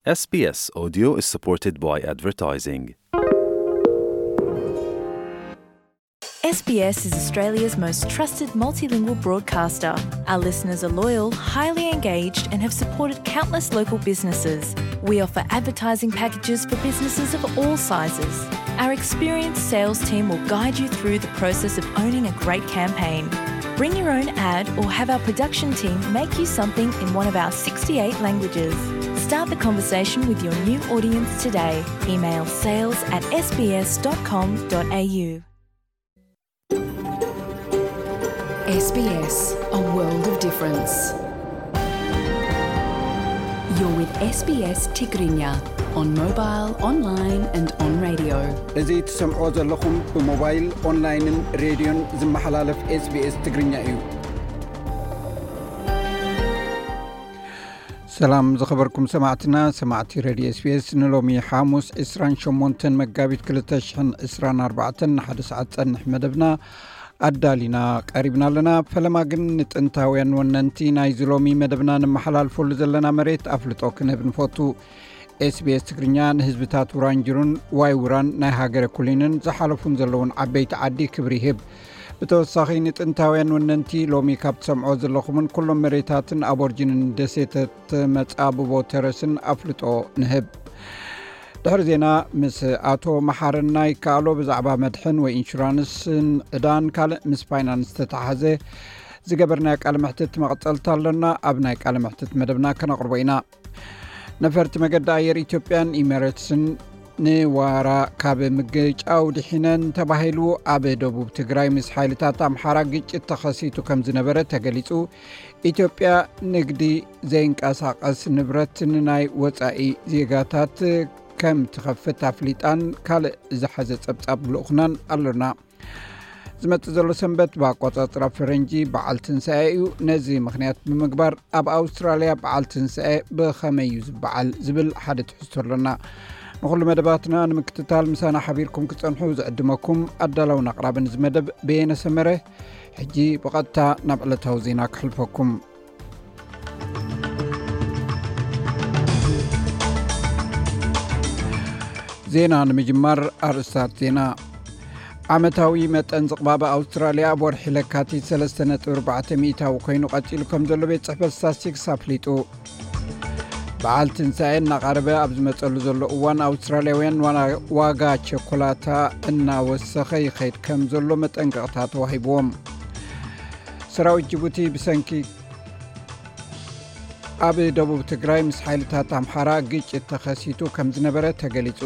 S B S Audio is supported by advertising. S B S is Australia's most trusted multilingual broadcaster. Our listeners are loyal, highly engaged, and have supported countless local businesses. We offer advertising packages for businesses of all sizes. Our experienced sales team will guide you through the process of owning a great campaign. Bring your own ad or have our production team make you something in one of our sixty-eight languages. Start the conversation with your new audience today. Email sales at S B S dot com dot A U. S B S, a world of difference. You're with S B S Tigrinya on mobile, online and on radio. እዚ ትሰምዖ ዘለኹም ብሞባይል፣ ኦንላይንን ሬድዮን ዝመሓላለፍ S B S ትግርኛ እዩ። ሰላም ዝኸበርኩም ሰማዕትና፣ ሰማዕቲ ሬድዮ S B S፣ ንሎሚ ሓሙስ ዕስራን ሸሞንተን መጋቢት ክልተ ሽሕን ዕስራን ኣርባዕተን ንሓደ ሰዓት ጸንሕ መደብና ኣዳሊና ቀሪብና ኣለና። ፈለማ ግን ንጥንታውያን ወነንቲ ናይዚ ሎሚ መደብና ንመሓላልፈሉ ዘለና መሬት ኣፍልጦ ክንህብ ንፈቱ። S B S ትግርኛ ንህዝብታት ውራንጅሩን ዋይ ውራን ናይ ሃገረ ኩሊንን ዝሓለፉን ዘለውን ዓበይቲ ዓዲ ክብሪ ይህብ። ብተወሳኺ ንጥንታውያን ወነንቲ ሎሚ ካብ ትሰምዖ ዘለኹምን ኩሎም መሬታትን ኣቦርጅንን ደሴታት መጻብቦ ተረስን ኣፍልጦ ንህብ። ድሕሪ ዜና ምስ ኣቶ መሓረና ይከኣሎ ብዛዕባ መድሕን ወይ ኢንሹራንስን ዕዳን ካልእ ምስ ፋይናንስ ዝተተሓዘ ዝገበርናዮ ቃለ መሕትት መቐጸልታ ኣሎና። ኣብ ናይ ቃለ መሕትት መደብና ከነቕርቦ ኢና። ነፈርቲ መገዲ ኣየር ኢትዮጵያን ኢሚሬትስን ንዋራ ካብ ምግጫው ድሒነን ተባሂሉ። ኣብ ደቡብ ትግራይ ምስ ሓይልታት ኣምሓራ ግጭት ተኸሲቱ ከም ዝነበረ ተገሊጹ። ኢትዮጵያ ንግዲ ዘይንቀሳቐስ ንብረት ንናይ ወጻኢ ዜጋታት ከም ትኸፍት ኣፍሊጣን ካልእ ዝሓዘ ጸብጻብ ልኡኽናን ኣሎና። ዝመጽእ ዘሎ ሰንበት ብኣቆጻጽራ ፈረንጂ በዓል ትንሳኤ እዩ። ነዚ ምኽንያት ብምግባር ኣብ ኣውስትራልያ በዓል ትንሳኤ ብኸመይ እዩ ዝበዓል ዝብል ሓደ ትሕዝቶ ኣሎና። ንኹሉ መደባትና ንምክትታል ምሳና ሓቢርኩም ክጸንሑ ዝዕድመኩም ኣዳላውን ኣቕራብን እዚ መደብ በየነ ሰመረ። ሕጂ ብቐጥታ ናብ ዕለታዊ ዜና ክሕልፈኩም። ዜና ንምጅማር ኣርእስታት ዜና። ዓመታዊ መጠን ዝቕባበ ኣውስትራልያ ኣብ ወርሒ ለካቲት ሰለስተ ነጥቢ ኣርባዕተ ሚእታዊ ኮይኑ ቀጺሉ ከም ዘሎ ቤት ጽሕፈት ስታስቲክስ ኣፍሊጡ። በዓል ትንሳኤ እናቐረበ ኣብ ዝመጸሉ ዘሎ እዋን ኣውስትራልያውያን ዋና-፣ ዋጋ ቸኮላታ እናወሰኸ ይኸይድ ከም ዘሎ መጠንቀቕታ ተዋሂብዎም። ሰራዊት ጅቡቲ ብሰንኪ ኣብ ደቡብ ትግራይ ምስ ሓይልታት ኣምሓራ ግጭት ተኸሲቱ ከም ዝነበረ ተገሊጹ።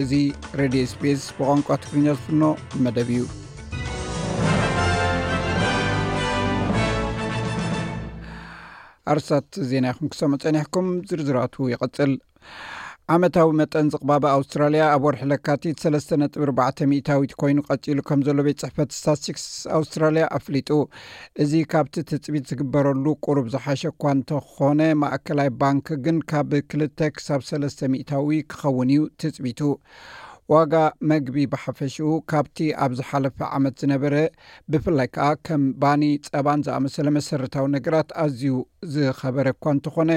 እዚ ሬድዮ S B S ብቋንቋ ትግርኛ ዝፍኖ መደብ እዩ። ኣርስታት ዜና ኢኹም ክሰምዑ ጸኒሕኩም፣ ዝርዝራቱ ይቐጽል። ዓመታዊ መጠን ዝቕባበ ኣውስትራልያ ኣብ ወርሒ ለካቲት ሰለስተ ነጥቢ ኣርባዕተ ሚእታዊት ኮይኑ ቀጺሉ ከም ዘሎ ቤት ጽሕፈት ስታስቲክስ ኣውስትራልያ ኣፍሊጡ። እዚ ካብቲ ትጽቢት ዝግበረሉ ቁሩብ ዝሓሸ እኳ እንተኾነ፣ ማእከላይ ባንክ ግን ካብ ክልተ ክሳብ ሰለስተ ሚእታዊ ክኸውን እዩ ትጽቢቱ። ዋጋ መግቢ ብሓፈሽኡ ካብቲ ኣብ ዝሓለፈ ዓመት ዝነበረ፣ ብፍላይ ከኣ ከም ባኒ፣ ጸባን ዝኣመሰለ መሰረታዊ ነገራት ኣዝዩ ዝኸበረ እኳ እንተኾነ፣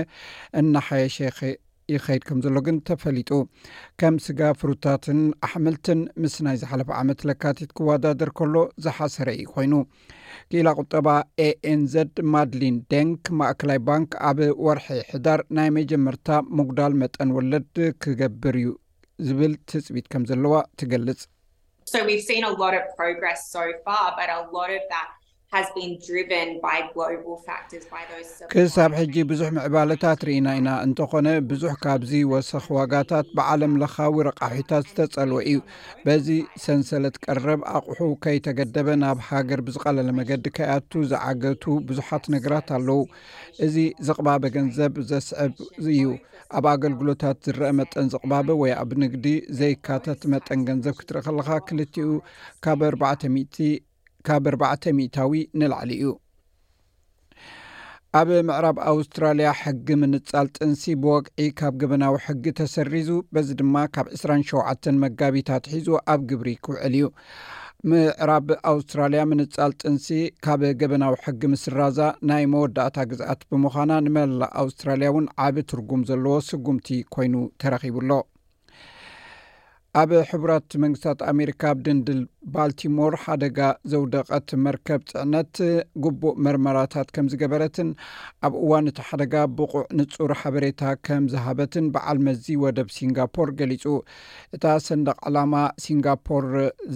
እናሓየሸ ይኸ-፣ ይኸይድ ከም ዘሎ ግን ተፈሊጡ። ከም ስጋ፣ ፍሩታትን ኣሕምልትን ምስ ናይ ዝሓለፈ ዓመት ለካቲት ክወዳደር ከሎ ዝሓሰረ እዩ ኮይኑ። ክኢላ ቁጠባ A N Z ማድሊን ደንክ፣ ማእከላይ ባንክ ኣብ ወርሒ ሕዳር ናይ መጀመርታ ምጉዳል መጠን ወለድ ክገብር እዩ ዝብል ትጽቢት ከም ዘለዋ ትገልጽ። So we've seen a lot of progress so far, but a lot of that has been driven by global factors, by those supply ክሳብ ሕጂ ብዙሕ ምዕባለታት ርኢና ኢና። እንተኾነ፣ ብዙሕ ካብዚ ወሰኽ ዋጋታት ብዓለም ለኻዊ ረቃሒታት ዝተጸልወ እዩ። በዚ ሰንሰለት ቀረብ ኣቑሑ ከይተገደበ ናብ ሃገር ብዝቐለለ መገዲ ከይኣቱ ዝዓገቱ ብዙሓት ነገራት ኣለዉ። እዚ ዝቕባበ ገንዘብ ዘስዕብ እዩ። ኣብ ኣገልግሎታት ዝረአ መጠን ዝቕባበ ወይ ኣብ ንግዲ ዘይካተት መጠን ገንዘብ ክትርኢ ከለኻ፣ ክልቲኡ ካብ ኣርባዕተ ሚእቲ፣ ካብ ኣርባዕተ ሚእታዊ ንላዕሊ እዩ። ኣብ ምዕራብ ኣውስትራልያ ሕጊ ምንጻል ጥንሲ ብወግዒ ካብ ገበናዊ ሕጊ ተሰሪዙ፣ በዚ ድማ ካብ ዕስራን ሸውዓተን መጋቢት ኣትሒዙ ኣብ ግብሪ ክውዕል እዩ። ምዕራብ ኣውስትራልያ ምንጻል ጥንሲ ካብ ገበናዊ ሕጊ ምስራዛ ናይ መወዳእታ ግዝኣት ብምዃና፣ ንመላእ ኣውስትራልያ እውን ዓቢ ትርጉም ዘለዎ ስጉምቲ ኮይኑ ተረኺቡ ኣሎ። ኣብ ሕቡራት መንግስታት ኣሜሪካ፣ ኣብ ድንድል ባልቲሞር ሓደጋ ዘውደቐት መርከብ ጽዕነት ግቡእ መርመራታት ከም ዝገበረትን ኣብ እዋን እቲ ሓደጋ ብቑዕ ንጹር ሓበሬታ ከም ዝሃበትን በዓል መዚ ወደብ ሲንጋፖር ገሊጹ። እታ ሰንደቕ ዕላማ ሲንጋፖር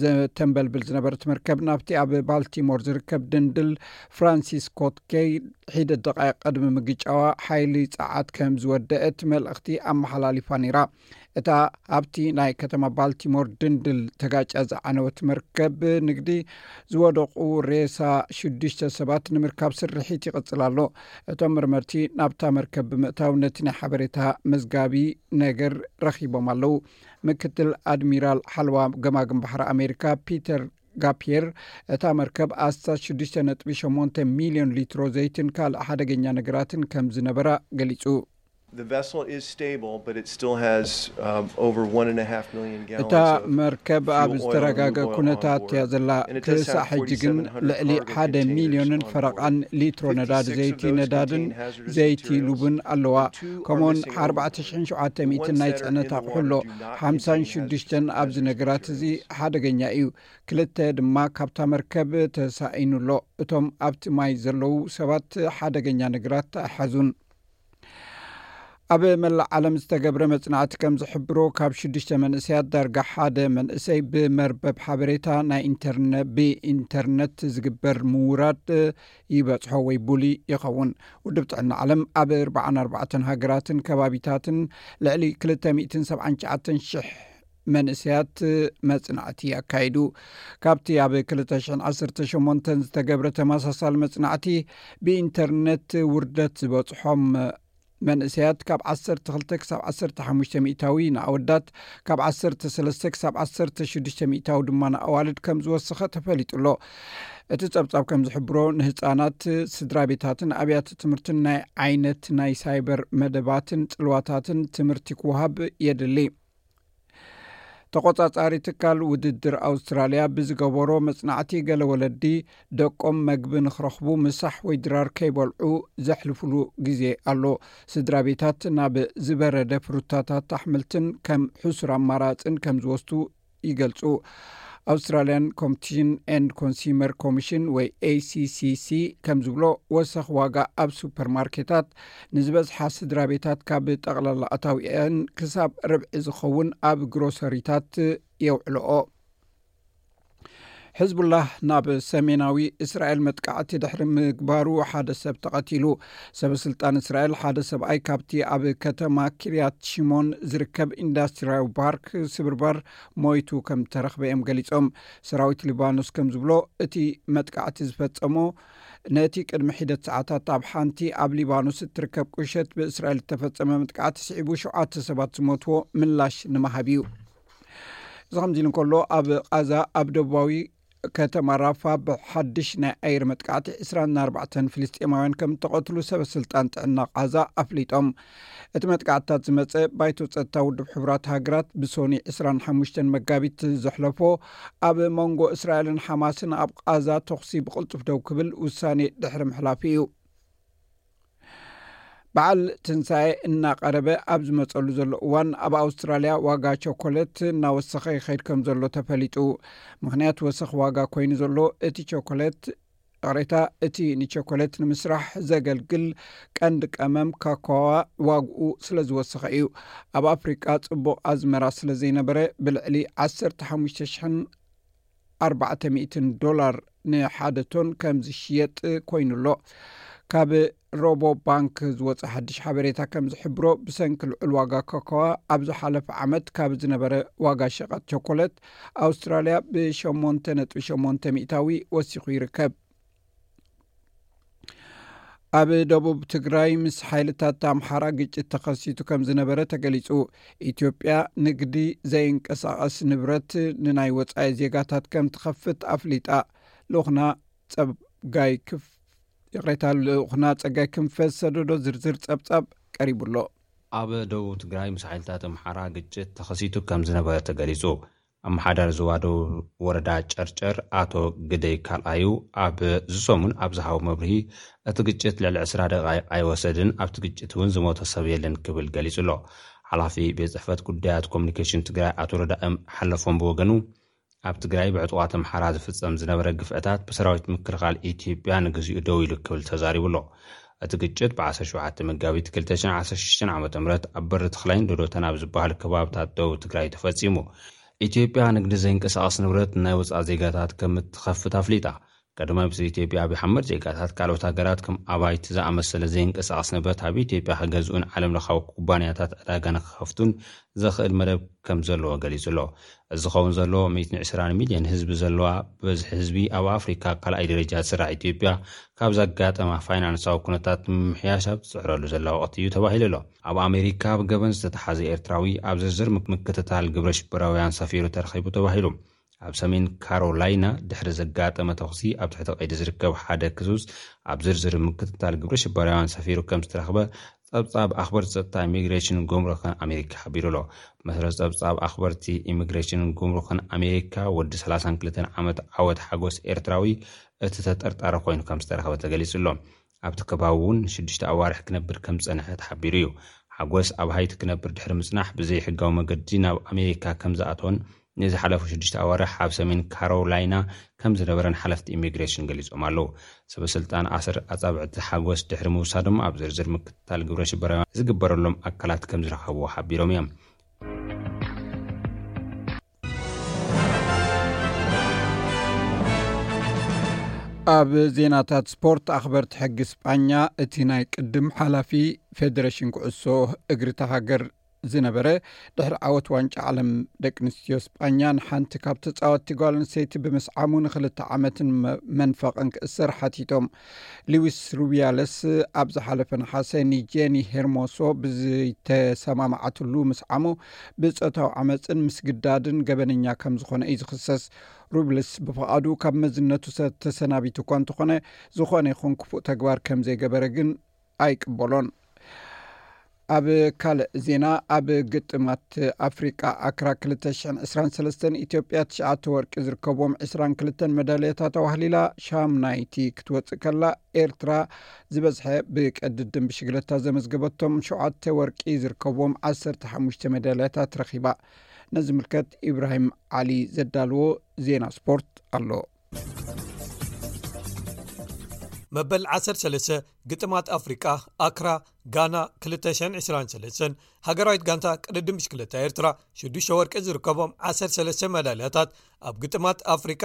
ዘተንበልብል ዝነበረት መርከብ፣ ናብቲ ኣብ ባልቲሞር ዝርከብ ድንድል ፍራንሲስ ስኮት ጌይ ሒደት ደቃይቕ ቅድሚ ምግጫዋ፣ ሓይሊ ጸዓት ከም ዝወደአት መልእኽቲ ኣመሓላሊፋ ነይራ። እታ ኣብቲ ናይ ከተማ ባልቲሞር ድንድል ተጋጫ ዝዓነወት መርከብ ንግዲ ዝወደቑ ሬሳ ሽዱሽተ ሰባት ንምርካብ ስርሒት ይቕጽል ኣሎ። እቶም መርመርቲ ናብታ መርከብ ብምእታው ነቲ ናይ ሓበሬታ መዝጋቢ ነገር ረኺቦም ኣለዉ። ምክትል ኣድሚራል ሓለዋ ገማግም ባሕሪ ኣሜሪካ ፒተር ጋፒየር፣ እታ መርከብ ኣስታት ሽዱሽተ ነጥቢ ሸሞንተ ሚልዮን ሊትሮ ዘይትን ካልእ ሓደገኛ ነገራትን ከም ዝነበራ ገሊጹ። The vessel is stable, but it still has, um, over one and a half million gallons እታ of መርከብ ኣብ fuel oil and ዝተረጋገ lube ኩነታት oil board. እያ ዘላ። And it does have ክሳዕ ሕጂ ግን forty-seven hundred ልዕሊ ሓደ ሚልዮንን ፈረቓን ሊትሮ ነዳዲ ዘይቲ ነዳድን ዘይቲ ሉብን ኣለዋ። ከምኡውን ኣርባዕተ ሽሕን ሸውዓተ ሚእትን ናይ ጽዕነት ኣቑሑ ኣሎ። ሓምሳን ሽዱሽተን ኣብዚ ነገራት እዚ ሓደገኛ እዩ። ክልተ ድማ ካብታ መርከብ ተሳኢኑ ኣሎ። እቶም ኣብቲ ማይ ዘለዉ ሰባት ሓደገኛ ነገራት ኣይሓዙን። ኣብ መላእ ዓለም ዝተገብረ መጽናዕቲ ከም ዝሕብሮ፣ ካብ ሽዱሽተ መንእሰያት ዳርጋ ሓደ መንእሰይ ብመርበብ ሓበሬታ ናይ ኢንተርነ-፣ ብኢንተርነት ዝግበር ምውራድ ይበጽሖ ወይ ቡሊ ይኸውን። ውድብ ጥዕና ዓለም ኣብ ኣርባዓን ኣርባዕተን ሃገራትን ከባቢታትን ልዕሊ ክልተ ሚእትን ሰብዓን ትሽዓተን ሽሕ መንእሰያት መጽናዕቲ ኣካይዱ። ካብቲ ኣብ ክልተ ሽሕን ዓሰርተ ሸሞንተን ዝተገብረ ተመሳሳሊ መጽናዕቲ፣ ብኢንተርነት ውርደት ዝበጽሖም መንእሰያት ካብ ዓሰርተ ክልተ ክሳብ ዓሰርተ ሓሙሽተ ሚእታዊ፣ ንኣወዳት ካብ ዓሰርተ ሰለስተ ክሳብ ዓሰርተ ሽዱሽተ ሚእታዊ ድማ ንኣዋልድ ከም ዝወሰኸ ተፈሊጡ ኣሎ። እቲ ጸብጻብ ከም ዝሕብሮ፣ ንህጻናት፣ ስድራ ቤታትን ኣብያተ ትምህርትን ናይ ዓይነት ናይ ሳይበር መደባትን ጽልዋታትን ትምህርቲ ክወሃብ የድሊ። ተቖጻጻሪ ትካል ውድድር ኣውስትራልያ ብዝገበሮ መጽናዕቲ፣ ገለ ወለዲ ደቆም መግቢ ንኽረኽቡ ምሳሕ ወይ ድራር ከይበልዑ ዘሕልፉሉ ግዜ ኣሎ። ስድራ ቤታት ናብ ዝበረደ ፍሩታታት ኣሕምልትን ከም ሕሱር ኣማራጽን ከም ዝወስዱ ይገልጹ። Australian Competition and Consumer Commission ወይ ኤ ሲ ሲ ሲ ከም ዝብሎ፣ ወሰኽ ዋጋ ኣብ ሱፐርማርኬታት ንዝበዝሓ ስድራ ቤታት ካብ ጠቕላላ ኣታዊአን ክሳብ ርብዒ ዝኸውን ኣብ ግሮሰሪታት የውዕልኦ። ሕዝቡላህ ናብ ሰሜናዊ እስራኤል መጥቃዕቲ ድሕሪ ምግባሩ ሓደ ሰብ ተቐቲሉ። ሰበ ስልጣን እስራኤል፣ ሓደ ሰብኣይ ካብቲ ኣብ ከተማ ኪርያት ሽሞን ዝርከብ ኢንዱስትሪያዊ ፓርክ ስብርባር ሞይቱ ከም ተረኽበ እዮም ገሊጾም። ሰራዊት ሊባኖስ ከም ዝብሎ፣ እቲ መጥቃዕቲ ዝፈጸሞ ነቲ ቅድሚ ሒደት ሰዓታት ኣብ ሓንቲ ኣብ ሊባኖስ እትርከብ ቁሸት ብእስራኤል እተፈጸመ መጥቃዕቲ ስዒቡ ሸውዓተ ሰባት ዝሞትዎ ምላሽ ንምሃብ እዩ። እዚ ከምዚ ኢሉ እንከሎ፣ ኣብ ቃዛ ኣብ ደቡባዊ ከተማ ራፋ ብሓድሽ ናይ ኣየር መጥቃዕቲ ዕስራን ኣርባዕተን ፍልስጤማውያን ከም እተቐትሉ ሰበ ስልጣን ጥዕና ቃዛ ኣፍሊጦም። እቲ መጥቃዕትታት ዝመጸ፣ ባይቶ ጸጥታ ውድብ ሕቡራት ሃገራት ብሶኒ ዕስራን ሓሙሽተን መጋቢት ዘሕለፎ፣ ኣብ መንጎ እስራኤልን ሓማስን ኣብ ቃዛ ተኹሲ ብቕልጡፍ ደው ክብል ውሳኔ ድሕሪ ምሕላፉ እዩ። በዓል ትንሳኤ እናቐረበ ኣብ ዝመጸሉ ዘሎ እዋን፣ ኣብ ኣውስትራልያ ዋጋ ቸኮሌት እናወሰኸ ይኸይድ ከም ዘሎ ተፈሊጡ። ምኽንያት ወሰኽ ዋጋ ኮይኑ ዘሎ፣ እቲ ቸኮሌት፣ ይቕሬታ፣ እቲ ንቸኮሌት ንምስራሕ ዘገልግል ቀንዲ ቀመም ካካዋ ዋግኡ ስለ ዝወሰኸ እዩ። ኣብ ኣፍሪቃ ጽቡቕ ኣዝመራ ስለ ዘይነበረ፣ ብልዕሊ ዓሰርተ ሓሙሽተ ሽሕን ኣርባዕተ ሚእትን ዶላር ንሓደ ቶን ከም ዝሽየጥ ኮይኑ ኣሎ። ካብ ሮቦ ባንክ ዝወጸ ሓድሽ ሓበሬታ ከም ዝሕብሮ፣ ብሰንኪ ልዑል ዋጋ ኮኮዋ ኣብ ዝሓለፈ ዓመት ካብ ዝነበረ ዋጋ ሸቐጥ ቸኮሌት ኣውስትራልያ ብሸሞንተ ነጥቢ ሸሞንተ ሚእታዊ ወሲኹ ይርከብ። ኣብ ደቡብ ትግራይ ምስ ሓይልታት ኣምሓራ ግጭት ተኸሲቱ ከም ዝነበረ ተገሊጹ። ኢትዮጵያ ንግዲ ዘይንቀሳቐስ ንብረት ንናይ ወጻኢ ዜጋታት ከም ትኸፍት ኣፍሊጣ። ልኡኽና ጸጋይ ክፍ-፣ ይቕሬታ፣ ልኡኽና ጸጋይ ክንፈ ዝሰደዶ ዝርዝር ጸብጻብ ቀሪቡ ኣሎ። ኣብ ደቡብ ትግራይ ምስ ሓይልታት ኣምሓራ ግጭት ተኸሲቱ ከም ዝነበረ ተገሊጹ። ኣመሓዳሪ ዞባ ደቡብ ወረዳ ጨርጨር ኣቶ ግደይ ካልኣዩ ኣብ ዝሰሙን ኣብ ዝሃቦ መብርሂ፣ እቲ ግጭት ልዕሊ ዕስራ ደቓይቕ ኣይወሰድን፣ ኣብቲ ግጭት እውን ዝሞተ ሰብ የለን ክብል ገሊጹ ኣሎ። ሓላፊ ቤት ጽሕፈት ጉዳያት ኮሚኒኬሽን ትግራይ ኣቶ ረዳእም ሓለፎም ብወገኑ፣ ኣብ ትግራይ ብዕጡቓት ኣምሓራ ዝፍጸም ዝነበረ ግፍዕታት ብሰራዊት ምክልኻል ኢትዮጵያ ንግዚኡ ደው ኢሉ ክብል ተዛሪቡ ኣሎ። እቲ ግጭት ብ17 መጋቢት 2016 ዓ.ም ኣብ በሪ ተኽላይን ዶዶተን ኣብ ዝበሃል ከባብታት ደቡብ ትግራይ ተፈጺሙ። ኢትዮጵያ ንግዲ ዘይንቀሳቐስ ንብረት ናይ ወጻኢ ዜጋታት ከም እትኸፍት ኣፍሊጣ። ቀዳማይ ሚኒስትር ኢትዮጵያ ኣብይ ኣሕመድ፣ ዜጋታት ካልኦት ሃገራት ከም ኣባይቲ ዝኣመሰለ ዘይንቀሳቐስ ንብረት ኣብ ኢትዮጵያ ክገዝኡን ዓለም ለኻዊ ኩባንያታት ዕዳጋ ንክኸፍቱን ዘኽእል መደብ ከም ዘለዎ ገሊጹ ኣሎ። እዚ ዝኸውን ዘሎ 120 ሚልዮን ህዝቢ ዘለዋ፣ ብበዝሒ ህዝቢ ኣብ ኣፍሪካ ካልኣይ ደረጃ ትስራሕ ኢትዮጵያ፣ ካብ ዘጋጠማ ፋይናንሳዊ ኩነታት ንምምሕያሽ ኣብ ትጽዕረሉ ዘላ ወቕቲ እዩ ተባሂሉ ኣሎ። ኣብ ኣሜሪካ ብገበን ዝተተሓዘ ኤርትራዊ ኣብ ዝርዝር ምክ-፣ ምክትታል ግብረ ሽበራውያን ሰፊሩ ተረኺቡ ተባሂሉ። ኣብ ሰሜን ካሮላይና ድሕሪ ዘጋጠመ ተኹሲ ኣብ ትሕቲ ቀይዲ ዝርከብ ሓደ ክሱስ ኣብ ዝርዝር ምክትታል ግብረ ሽበራውያን ሰፊሩ ከም ዝተረኽበ ጸብጻብ ኣኽበርቲ ጸጥታ ኢሚግሬሽንን ጉምሩክን ኣሜሪካ ሓቢሩ ኣሎ። መሰረት ጸብጻብ ኣኽበርቲ ኢሚግሬሽንን ጉምሩክን ኣሜሪካ፣ ወዲ 32 ዓመት ዓወት ሓጎስ ኤርትራዊ እቲ ተጠርጣሪ ኮይኑ ከም ዝተረኽበ ተገሊጹ ኣሎ። ኣብቲ ከባቢ እውን ሽዱሽተ ኣዋርሕ ክነብር ከም ዝጸንሐ ተሓቢሩ እዩ። ሓጎስ ኣብ ሃይቲ ክነብር ድሕሪ ምጽናሕ ብዘይሕጋዊ መገዲ ናብ ኣሜሪካ ከም ዝኣተወን ንዝሓለፉ ሽዱሽተ ኣዋርሕ ኣብ ሰሜን ካሮላይና ከም ዝነበረን ሓለፍቲ ኢሚግሬሽን ገሊጾም ኣለዉ። ሰበ ስልጣን ኣሰር ኣጻብዕቲ ሓጎስ ድሕሪ ምውሳዶም ኣብ ዝርዝር ምክትታል ግብረ ሽበራውያን ዝግበረሎም ኣካላት ከም ዝረኸብዎ ሓቢሮም እዮም። ኣብ ዜናታት ስፖርት፣ ኣኽበርቲ ሕጊ ስጳኛ እቲ ናይ ቅድም ሓላፊ ፌደሬሽን ኩዕሶ እግሪ እታ ሃገር ዝነበረ፣ ድሕሪ ዓወት ዋንጫ ዓለም ደቂ ኣንስትዮ ስጳኛ ንሓንቲ ካብ ተጻወትቲ ጓል ኣንስተይቲ ብምስዓሙ ንክልተ ዓመትን መ-፣ መንፈቕን ክእሰር ሓቲቶም። ሉዊስ ሩቢያለስ ኣብ ዝሓለፈ ነሓሰ ንጄኒ ሄርሞሶ ብዝተሰማማዓትሉ ምስዓሙ ብጾታዊ ዓመጽን ምስግዳድን ገበነኛ ከም ዝኾነ እዩ ዝኽሰስ። ሩቢያለስ ብፍቓዱ ካብ መዝነቱ ሰ-፣ ተሰናቢቱ እኳ እንተኾነ፣ ዝኾነ ይኹን ክፉእ ተግባር ከም ዘይገበረ ግን ኣይቅበሎን። ኣብ ካልእ ዜና፣ ኣብ ግጥማት ኣፍሪቃ ኣክራ 2023 ኢትዮጵያ ትሽዓተ ወርቂ ዝርከብዎም 22 መዳልያታት ኣዋህሊላ ሻምናይቲ ክትወጽእ ከላ፣ ኤርትራ ዝበዝሐ ብቀድድም ብሽግለታ ዘመዝገበቶም ሸውዓተ ወርቂ ዝርከብዎም 15 መዳልያታት ረኺባ። ነዚ ምልከት ኢብራሂም ዓሊ ዘዳልዎ ዜና ስፖርት ኣሎ። መበል 13 ግጥማት ኣፍሪቃ ኣክራ ጋና 2023፣ ሃገራዊት ጋንታ ቅድድም ብሽክለታ ኤርትራ ሽዱሽተ ወርቂ ዝርከቦም 13 መዳልያታት ኣብ ግጥማት ኣፍሪቃ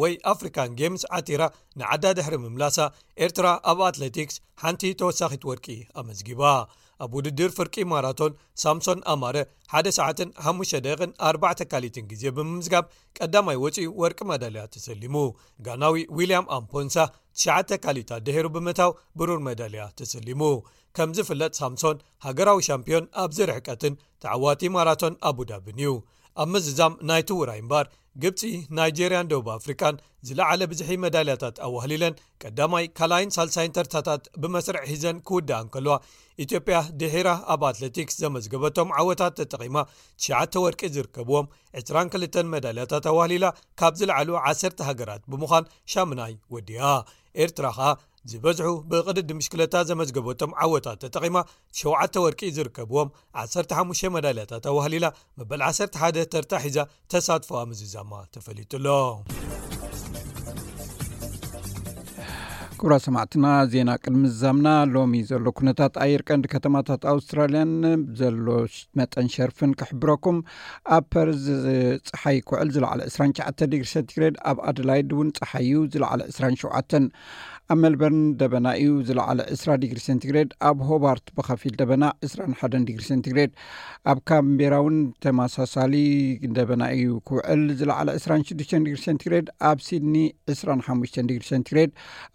ወይ ኣፍሪካን ጌምስ ዓቲራ ንዓዳ ድሕሪ ምምላሳ፣ ኤርትራ ኣብ ኣትሌቲክስ ሓንቲ ተወሳኺት ወርቂ ኣመዝጊባ። ኣብ ውድድር ፍርቂ ማራቶን ሳምሶን ኣማረ ሓደ ሰዓትን ሓሙሽተ ደቂቕን ኣርባዕተ ካሊትን ግዜ ብምምዝጋብ ቀዳማይ ወፂኡ ወርቂ መዳልያ ተሰሊሙ። ጋናዊ ዊልያም ኣምፖንሳ ትሽዓተ ካሊታት ድሒሩ ብምእታው ብሩር መዳልያ ተሰሊሙ። ከም ዝፍለጥ ሳምሶን ሃገራዊ ሻምፒዮን ኣብዚ ርሕቀትን ተዓዋቲ ማራቶን ኣቡዳብን እዩ። ኣብ ምዝዛም ናይቲ ውራይ እምበር ግብፂ፣ ናይጄርያን ደቡብ ኣፍሪቃን ዝለዓለ ብዝሒ መዳልያታት ኣዋህሊለን ቀዳማይ፣ ካልኣይን ሳልሳይን ተርታታት ብመስርዕ ሒዘን ክውድኣ እንከለዋ፣ ኢትዮጵያ ድሒራ ኣብ ኣትሌቲክስ ዘመዝገበቶም ዓወታት ተጠቒማ ትሽዓተ ወርቂ ዝርከብዎም 22 መዳልያታት ኣዋህሊላ ካብ ዝለዓሉ ዓሰርተ ሃገራት ብምዃን ሻምናይ ወዲኣ። ኤርትራ ኸኣ ዝበዝሑ ብቕድድም ብሽክለታ ዘመዝገበቶም ዓወታት ተጠቒማ ሸውዓተ ወርቂ ዝርከብዎም 15 መዳልያታት ኣዋህሊላ መበል 11 ተርታ ሒዛ ተሳትፎኣ ምዝዛማ ተፈሊጡ ኣሎ። ክቡራት ሰማዕትና፣ ዜና ቅድሚ ዝዛምና፣ ሎሚ ዘሎ ኩነታት ኣየር ቀንዲ ከተማታት ኣውስትራልያን ዘሎ ሽ-፣ መጠን ሸርፍን ክሕብረኩም። ኣብ ፐርዝ ጸሓይ ክውዕል ዝለዓለ 29 ዲግሪ ሴንቲግሬድ፣ ኣብ ኣደላይድ እውን ጸሓይ እዩ ዝለዓለ 27፣ ኣብ ሜልበርን ደበና እዩ ዝለዓለ 20 ዲግሪ ሴንቲግሬድ፣ ኣብ ሆባርት ብኸፊል ደበና 21 ዲግሪ ሴንቲግሬድ፣ ኣብ ካምቤራ እውን ተመሳሳሊ ደበና እዩ ክውዕል ዝለዓለ 26 ዲግሪ ሴንቲግሬድ፣ ኣብ ሲድኒ 25 ዲግሪ ሴንቲግሬድ፣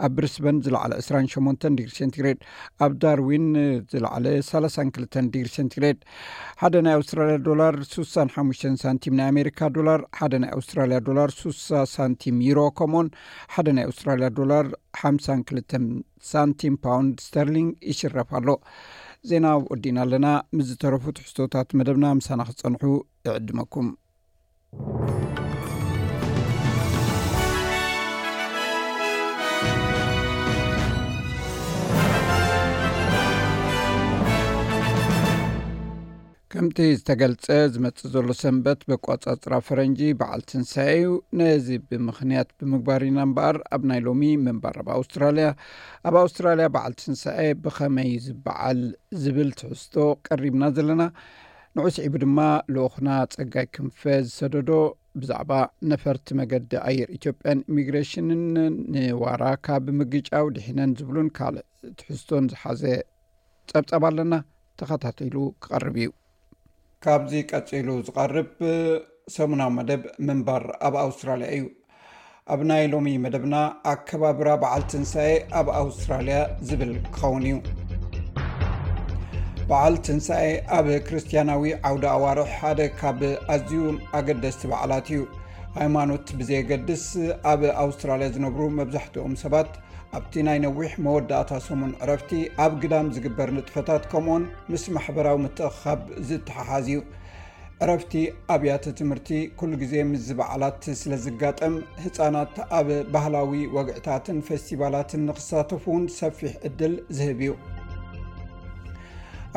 ኣብ ብሪስበን ዝለዓለ 28 ዲግሪ ሴንቲግሬድ፣ ኣብ ዳርዊን ዝለዓለ 32 ዲግሪ ሴንቲግሬድ። ሓደ ናይ ኣውስትራልያ ዶላር 65 ሳንቲም ናይ ኣሜሪካ ዶላር፣ ሓደ ናይ ኣውስትራልያ ዶላር 60 ሳንቲም ዩሮ፣ ከምኡውን ሓደ ናይ ኣውስትራልያ ዶላር 52 ሳንቲም ፓውንድ ስተርሊንግ ይሽረፍ ኣሎ። ዜና ወዲእና ኣለና። ምስ ዝተረፉ ትሕዝቶታት መደብና ምሳና ክጸንሑ እዕድመኩም። ከምቲ ዝተገልጸ፣ ዝመጽእ ዘሎ ሰንበት በቋጻጽራ ፈረንጂ በዓል ትንሳኤ እዩ። ነዚ ብምኽንያት ብምግባር ኢና እምበኣር፣ ኣብ ናይ ሎሚ ምንባር ኣብ ኣውስትራልያ፣ ኣብ ኣውስትራልያ በዓል ትንሳኤ ብኸመይ ዝበዓል ዝብል ትሕዝቶ ቀሪብና ዘለና። ንዑ ስዒቡ ድማ ልኡኽና ጸጋይ ክንፈ ዝሰደዶ ብዛዕባ ነፈርቲ መገዲ ኣየር ኢትዮጵያን ኢሚግሬሽንን ንዋራ ካብ ምግጫው ድሒነን ዝብሉን ካልእ ትሕዝቶን ዝሓዘ ጸብጻብ ኣለና። ተኸታቲሉ ክቐርብ እዩ። ካብዚ ቀጺሉ ዝቐርብ ሰሙናዊ መደብ ምንባር ኣብ ኣውስትራልያ እዩ። ኣብ ናይ ሎሚ መደብና ኣከባብራ በዓል ትንሳኤ ኣብ ኣውስትራልያ ዝብል ክኸውን እዩ። በዓል ትንሳኤ ኣብ ክርስትያናዊ ዓውደ ኣዋርሕ ሓደ ካብ ኣዝዩ ኣገደስቲ በዓላት እዩ። ሃይማኖት ብዘየገድስ፣ ኣብ ኣውስትራልያ ዝነብሩ መብዛሕትኦም ሰባት ኣብቲ ናይ ነዊሕ መወዳእታ ሰሙን ዕረፍቲ ኣብ ግዳም ዝግበር ንጥፈታት፣ ከምኡውን ምስ ማሕበራዊ ምትእኽኻብ ዝተሓሓዝ እዩ። ዕረፍቲ ኣብያተ ትምህርቲ ኩሉ ግዜ ምስዚ በዓላት ስለ ዝጋጠም፣ ህጻናት ኣብ ባህላዊ ወግዕታትን ፌስቲቫላትን ንክሳተፉ እውን ሰፊሕ ዕድል ዝህብ እዩ።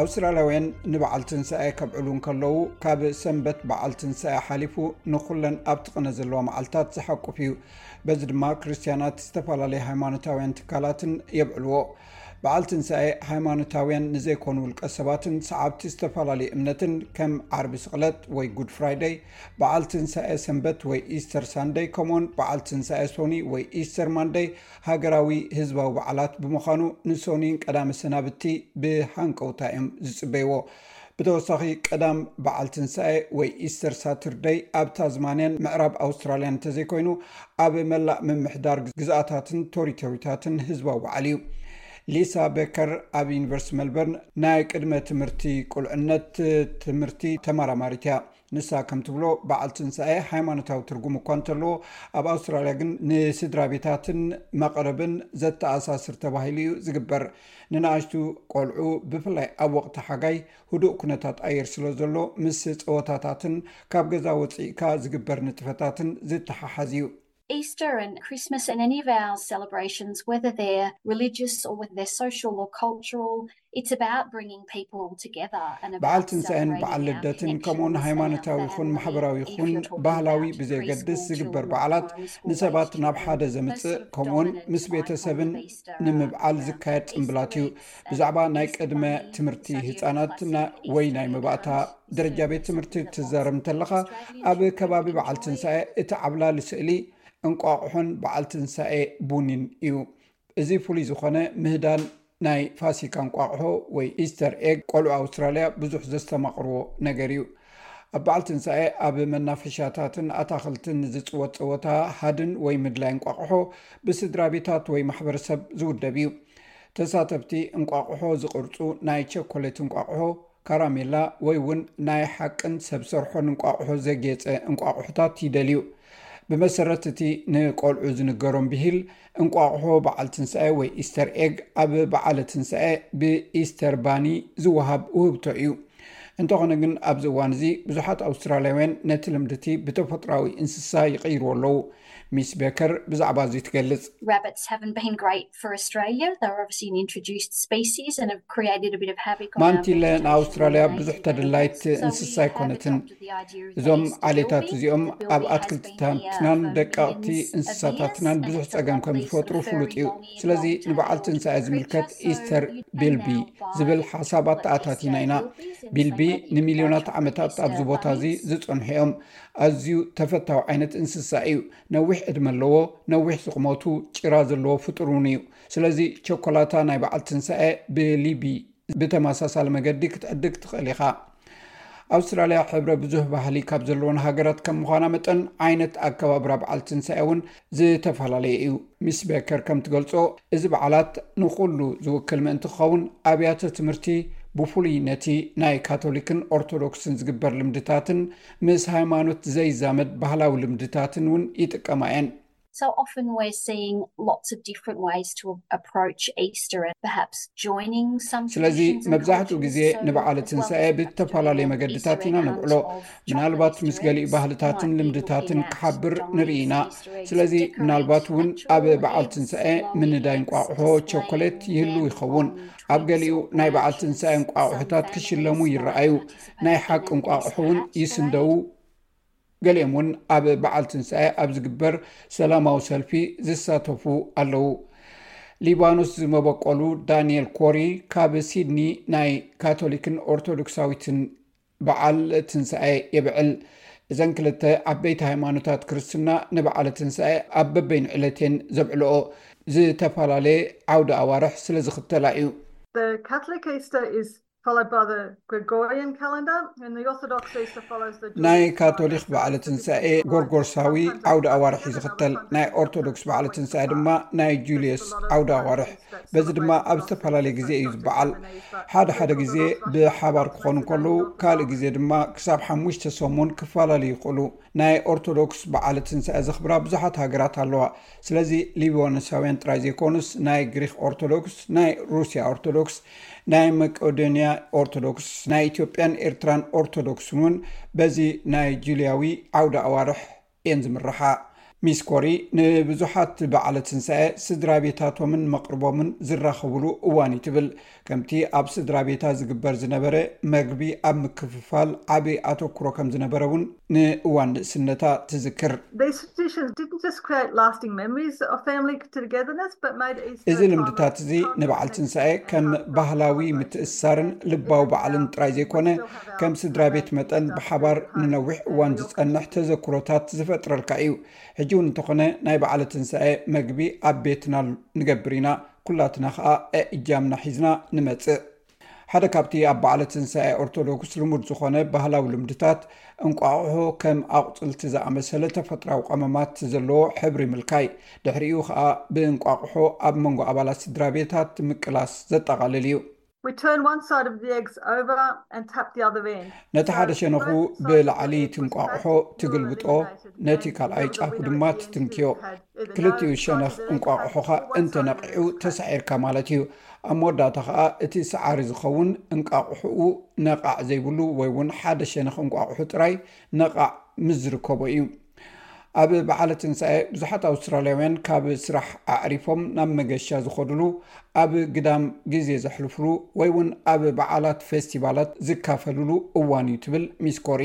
ኣውስትራልያውያን ንበዓል ትንሳኤ ከብዕሉ እንከለዉ፣ ካብ ሰንበት በዓል ትንሳኤ ሓሊፉ ንኹለን ኣብቲ ቅነ ዘለዋ መዓልታት ዝሓቁፍ እዩ። በዚ ድማ ክርስትያናት ዝተፈላለየ ሃይማኖታውያን ትካላትን የብዕልዎ። በዓል ትንሳኤ ሃይማኖታውያን ንዘይኮኑ ውልቀ ሰባትን ሰዓብቲ ዝተፈላለየ እምነትን ከም ዓርቢ ስቕለት ወይ ጉድ ፍራይደይ፣ በዓል ትንሳኤ ሰንበት ወይ ኢስተር ሳንደይ፣ ከምኡውን በዓል ትንሳኤ ሶኒ ወይ ኢስተር ማንደይ ሃገራዊ ህዝባዊ በዓላት ብምዃኑ፣ ንሶኒን ቀዳመ ሰናብቲ ብሃንቀውታ እዮም ዝጽበይዎ። ብተወሳኺ፣ ቀዳም በዓል ትንሳኤ ወይ ኢስተር ሳትርደይ ኣብ ታዝማንያን ምዕራብ ኣውስትራልያን እንተዘይኮይኑ፣ ኣብ መላእ ምምሕዳር ግዝኣታትን ቶሪቶሪታትን ህዝባዊ በዓል እዩ። ሊሳ ቤከር ኣብ ዩኒቨርሲቲ ሜልበርን ናይ ቅድመ ትምህርቲ ቁልዕነት ትምህርቲ ተመራማሪት እያ። ንሳ ከም ትብሎ፣ በዓል ትንሳኤ ሃይማኖታዊ ትርጉም እኳ እንተለዎ፣ ኣብ ኣውስትራልያ ግን ንስድራ ቤታትን መቕርብን ዘተኣሳስር ተባሂሉ እዩ ዝግበር። ንንኣሽቱ ቆልዑ፣ ብፍላይ ኣብ ወቕቲ ሓጋይ፣ ህዱእ ኩነታት ኣየር ስለ ዘሎ፣ ምስ ጸወታታትን ካብ ገዛ ወጺእካ ዝግበር ንጥፈታትን ዝተሓሓዝ እዩ። Easter and Christmas and any of our celebrations, whether they're religious or whether they're social or cultural, it's about bringing people together and about በዓል ትንሳኤን celebrating በዓል our ልደትን፣ connection ከምኡውን with ሃይማኖታዊ our ይኹን family. ማሕበራዊ If ይኹን you're talking ባህላዊ about ብዘየገድስ preschool ዝግበር or በዓላት፣ primary school ንሰባት age ናብ ሓደ children, ዘምጽእ፣ most of ከምኡውን dominant ምስ ቤተሰብን Easter and, ንምብዓል yeah, ዝካየድ Easter ጽምብላት እዩ። eggs ብዛዕባ ናይ ቅድመ ትምህርቲ ህጻናት ወይ ናይ መባእታ ደረጃ ቤት ትምህርቲ ትዛረብ እንተለኻ፣ ኣብ ከባቢ በዓል ትንሳኤ እቲ ዓብላሊ ስእሊ እንቋቑሖን በዓል ትንሳኤ ቡኒን እዩ። እዚ ፍሉይ ዝኾነ ምህዳን ናይ ፋሲካ እንቋቑሖ ወይ ኢስተር ኤግ፣ ቆልዑ ኣውስትራልያ ብዙሕ ዘስተማቕርዎ ነገር እዩ። ኣብ በዓል ትንሳኤ ኣብ መናፈሻታትን ኣታኽልትን ዝጽወት ጸወታ ሃድን ወይ ምድላይ እንቋቑሖ ብስድራ ቤታት ወይ ማሕበረሰብ ዝውደብ እዩ። ተሳተፍቲ እንቋቑሖ ዝቕርጹ ናይ ቸኮሌት እንቋቑሖ፣ ካራሜላ ወይ እውን ናይ ሓቅን ሰብ ሰርሖን እንቋቑሖ ዘጌጸ እንቋቑሖታት ይደልዩ። ብመሰረት እቲ ንቆልዑ ዝንገሮም ብሂል፣ እንቋቑሖ በዓል ትንሳኤ ወይ ኢስተር ኤግ ኣብ በዓለ ትንሳኤ ብኢስተር ባኒ ዝወሃብ ውህብቶ እዩ። እንተኾነ ግን፣ ኣብዚ እዋን እዚ ብዙሓት ኣውስትራልያውያን ነቲ ልምድቲ ብተፈጥሮኣዊ እንስሳ ይቕይርዎ ኣለዉ። ሚስ ቤከር ብዛዕባ እዚ ትገልጽ። Rabbits haven't been great for Australia. They're obviously an introduced species and have created a bit of havoc on our ማንቲለ vegetation ንኣውስትራልያ ብዙሕ ተደላይት እንስሳ ኣይኮነትን። እዞም ዓሌታት እዚኦም ኣብ ኣትክልትታትናን ደቀቕቲ እንስሳታትናን ብዙሕ ጸገም ከም ዝፈጥሩ ፍሉጥ እዩ። ስለዚ ንበዓል ትንሳኤ ዝምልከት ኢስተር ቢልቢ ዝብል ሓሳብ ኣተኣታቲና ኢና። ቢልቢ ንሚልዮናት ዓመታት ኣብዚ ቦታ እዚ ዝጸንሑ እዮም። ኣዝዩ ተፈታዊ ዓይነት እንስሳ እዩ። ነዊሕ ዕድመ ኣለዎ። ነዊሕ ዝቕመቱ ጭራ ዘለዎ ፍጡር እውን እዩ። ስለዚ ቸኮላታ ናይ በዓል ትንሳኤ ብሊቢ ብተመሳሳሊ መገዲ ክትዕድግ ትኽእል ኢኻ። ኣውስትራልያ ሕብረ ብዙህ ባህሊ ካብ ዘለወን ሃገራት ከም ምዃና መጠን፣ ዓይነት ኣከባብራ በዓል ትንሳኤ እውን ዝተፈላለየ እዩ። ሚስ ቤከር ከም ትገልጾ፣ እዚ በዓላት ንኹሉ ዝውክል ምእንቲ ክኸውን፣ ኣብያተ ትምህርቲ ብፍሉይ ነቲ ናይ ካቶሊክን ኦርቶዶክስን ዝግበር ልምድታትን ምስ ሃይማኖት ዘይዛመድ ባህላዊ ልምድታትን እውን ይጥቀማ እየን። So often we're seeing lots of different ways to approach Easter and perhaps joining some ስለዚ መብዛሕትኡ ግዜ ንበዓል ትንሳኤ ብተፈላለየ መገድታት ኢና ንብዕሎ። ምናልባት ምስ ገሊኡ ባህልታትን ልምድታትን ክሓብር ንርኢ ኢና። ስለዚ ምናልባት እውን ኣብ በዓል ትንሳኤ ምንዳይ እንቋቑሖ፣ ቸኮሌት ይህሉ ይኸውን። ኣብ ገሊኡ ናይ በዓል ትንሳኤ እንቋቑሖታት ክሽለሙ ይረኣዩ። ናይ ሓቂ እንቋቑሖ እውን ይስንደው። ገሊኦም እውን ኣብ በዓል ትንሳኤ ኣብ ዝግበር ሰላማዊ ሰልፊ ዝሳተፉ ኣለዉ። ሊባኖስ ዝመበቆሉ ዳንኤል ኮሪ ካብ ሲድኒ ናይ ካቶሊክን ኦርቶዶክሳዊትን በዓል ትንሳኤ የብዕል። እዘን ክልተ ዓበይቲ ሃይማኖታት ክርስትና ንበዓል ትንሳኤ ኣብ በበይኑ ዕለቴን ዘብዕልኦ ዝተፈላለየ ዓውደ ኣዋርሕ ስለ ዝኽተላ እዩ። The Catholic Easter is followed by the Gregorian calendar, and the Orthodox Easter follows the ናይ ካቶሊክ በዓል ትንሳኤ ጎርጎርሳዊ ዓውደ ኣዋርሕ እዩ ዝኽተል። ናይ ኦርቶዶክስ በዓል ትንሳኤ ድማ ናይ ጁልየስ ዓውደ ኣዋርሕ። በዚ ድማ ኣብ ዝተፈላለየ ግዜ እዩ ዝበዓል። ሓደ ሓደ ግዜ ብሓባር ክኾኑ ከለዉ፣ ካልእ ግዜ ድማ ክሳብ ሓሙሽተ ሰሙን ክፈላለዩ ይኽእሉ። ናይ ኦርቶዶክስ በዓል ትንሳኤ ዘኽብራ ብዙሓት ሃገራት ኣለዋ። ስለዚ ሊባኖሳውያን ጥራይ ዘይኮኑስ፣ ናይ ግሪክ ኦርቶዶክስ፣ ናይ ሩስያ ኦርቶዶክስ፣ ናይ መቄዶንያ ኦርቶዶክስ፣ ናይ ኢትዮጵያን ኤርትራን ኦርቶዶክስን እውን በዚ ናይ ጁልያዊ ዓውደ ኣዋርሕ እየን ዝምርሓ። ሚስ ኮሪ ንብዙሓት በዓለ ትንሳኤ ስድራ ቤታቶምን መቕርቦምን ዝራኸብሉ እዋን እዩ ትብል። ከምቲ ኣብ ስድራ ቤታ ዝግበር ዝነበረ መግቢ ኣብ ምክፍፋል ዓቢ ኣተኩሮ ከም ዝነበረ እውን ንእዋን ንእስነታ ትዝክር። These traditions didn't just create lasting memories of family togetherness, but made Easter እዚ ልምድታት እዚ ንበዓል ትንሳኤ ከም ባህላዊ ምትእስሳርን ልባዊ በዓልን ጥራይ ዘይኮነ፣ ከም ስድራ ቤት መጠን ብሓባር ንነዊሕ እዋን ዝጸንሕ ተዘክሮታት ዝፈጥረልካ እዩ። ሕጂ እውን እንተኾነ ናይ በዓለ ትንሳኤ መግቢ ኣብ ቤትና ንገብር ኢና። ኩላትና ኸኣ እጃምና ሒዝና ንመጽእ። ሓደ ካብቲ ኣብ በዓለ ትንሳኤ ኦርቶዶክስ ልሙድ ዝኾነ ባህላዊ ልምድታት፣ እንቋቑሖ ከም ኣቑጽልቲ ዝኣመሰለ ተፈጥራዊ ቀመማት ዘለዎ ሕብሪ ምልካይ፣ ድሕሪኡ ኸኣ ብእንቋቑሖ ኣብ መንጎ ኣባላት ስድራ ቤታት ምቅላስ ዘጠቓልል እዩ። We turn one side of the eggs over and tap the other end. ነቲ ሓደ ሸነኹ ብላዕሊ ትንቋቑሖ ትግልብጦ፣ ነቲ ካልኣይ ጫፉ ድማ ትትንክዮ። ክልቲኡ ሸነኽ እንቋቑሖኻ እንተነቒዑ ተሳዒርካ ማለት እዩ። ኣብ መወዳእታ ኸኣ እቲ ሰዓሪ ዝኸውን እንቋቑሖኡ ነቓዕ ዘይብሉ ወይ እውን ሓደ ሸነኽ እንቋቑሖ ጥራይ ነቓዕ ምስ ዝርከቦ እዩ። ኣብ በዓለ ትንሳኤ ብዙሓት ኣውስትራልያውያን ካብ ስራሕ ኣዕሪፎም ናብ መገሻ ዝኸድሉ፣ ኣብ ግዳም ግዜ ዘሕልፍሉ ወይ እውን ኣብ በዓላት ፌስቲቫላት ዝካፈልሉ እዋን እዩ ትብል ሚስ ኮሪ።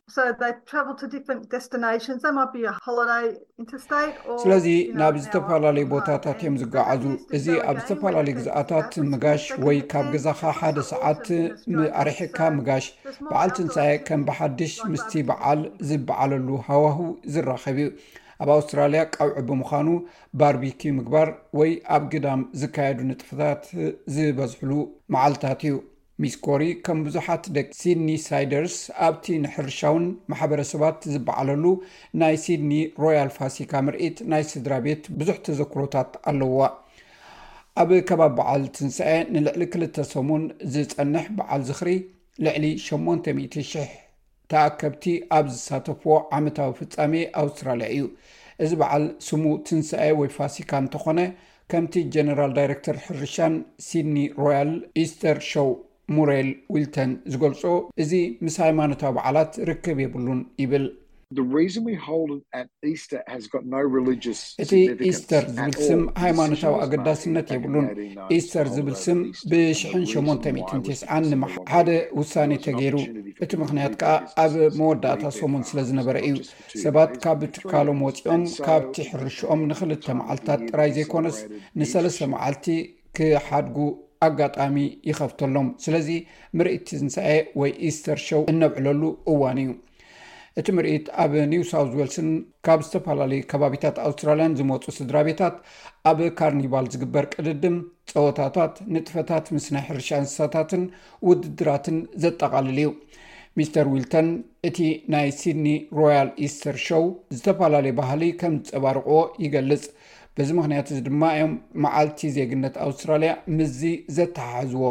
So they travel to different destinations. They might be a holiday interstate or ስለዚ ናብ ዝተፈላለዩ ቦታታት እዮም ዝጓዓዙ። እዚ ኣብ ዝተፈላለዩ ግዝኣታት ምጋሽ ወይ ካብ ገዛኻ ሓደ ሰዓት ኣርሒቕካ ምጋሽ በዓል ትንሳኤ ከም ብሓድሽ ምስቲ በዓል ዝበዓለሉ ሃዋህው ዝራኸብ እዩ። ኣብ ኣውስትራልያ ቀውዒ ብምዃኑ ባርቢኪ ምግባር ወይ ኣብ ግዳም ዝካየዱ ንጥፈታት ዝበዝሕሉ መዓልታት እዩ። ሚስ ኮሪ ከም ብዙሓት ደቂ ሲድኒ ሳይደርስ ኣብቲ ንሕርሻውን ማሕበረሰባት ዝበዓለሉ ናይ ሲድኒ ሮያል ፋሲካ ምርኢት ናይ ስድራ ቤት ብዙሕ ተዘክሮታት ኣለዋ። ኣብ ከባቢ በዓል ትንሳኤ ንልዕሊ ክልተ ሰሙን ዝጸንሕ በዓል ዝኽሪ ልዕሊ ሸሞንተ ሚእቲ ሽሕ ተኣከብቲ ኣብ ዝሳተፍዎ ዓመታዊ ፍጻሜ ኣውስትራልያ እዩ። እዚ በዓል ስሙ ትንሳኤ ወይ ፋሲካ እንተኾነ፣ ከምቲ ጀነራል ዳይረክተር ሕርሻን ሲድኒ ሮያል ኢስተር ሾው ሙሬል ዊልተን ዝገልጾ፣ እዚ ምስ ሃይማኖታዊ በዓላት ርክብ የብሉን ይብል። The reason we hold it at Easter has got no religious እቲ ኢስተር ዝብል ስም ሃይማኖታዊ ኣገዳስነት የብሉን። ኢስተር ዝብል ስም ብሽሕን ሸሞንተ ሚእትን ተስዓን ሓደ ውሳኔ ተገይሩ። እቲ ምኽንያት ከኣ ኣብ መወዳእታ ሰሙን ስለ ዝነበረ እዩ። ሰባት ካብ ትካሎም ወጺኦም ካብቲ ሕርሽኦም ንኽልተ መዓልታት ጥራይ ዘይኮነስ ንሰለስተ መዓልቲ ክሓድጉ ኣጋጣሚ ይኸፍተሎም። ስለዚ ምርኢት ትንሳኤ ወይ ኢስተር ሾው እነብዕለሉ እዋን እዩ። እቲ ምርኢት ኣብ ኒው ሳውዝ ዌልስን ካብ ዝተፈላለዩ ከባቢታት ኣውስትራልያን ዝመጹ ስድራ ቤታት ኣብ ካርኒቫል ዝግበር ቅድድም፣ ጸወታታት፣ ንጥፈታት ምስ ናይ ሕርሻ እንስሳታትን ውድድራትን ዘጠቓልል እዩ። ሚስተር ዊልተን እቲ ናይ ሲድኒ ሮያል ኢስተር ሾው ዝተፈላለየ ባህሊ ከም ዝጸባርቕዎ ይገልጽ። በዚ ምኽንያት እዚ ድማ እዮም መዓልቲ ዜግነት ኣውስትራልያ ምስዚ ዘተሓሕዝዎ።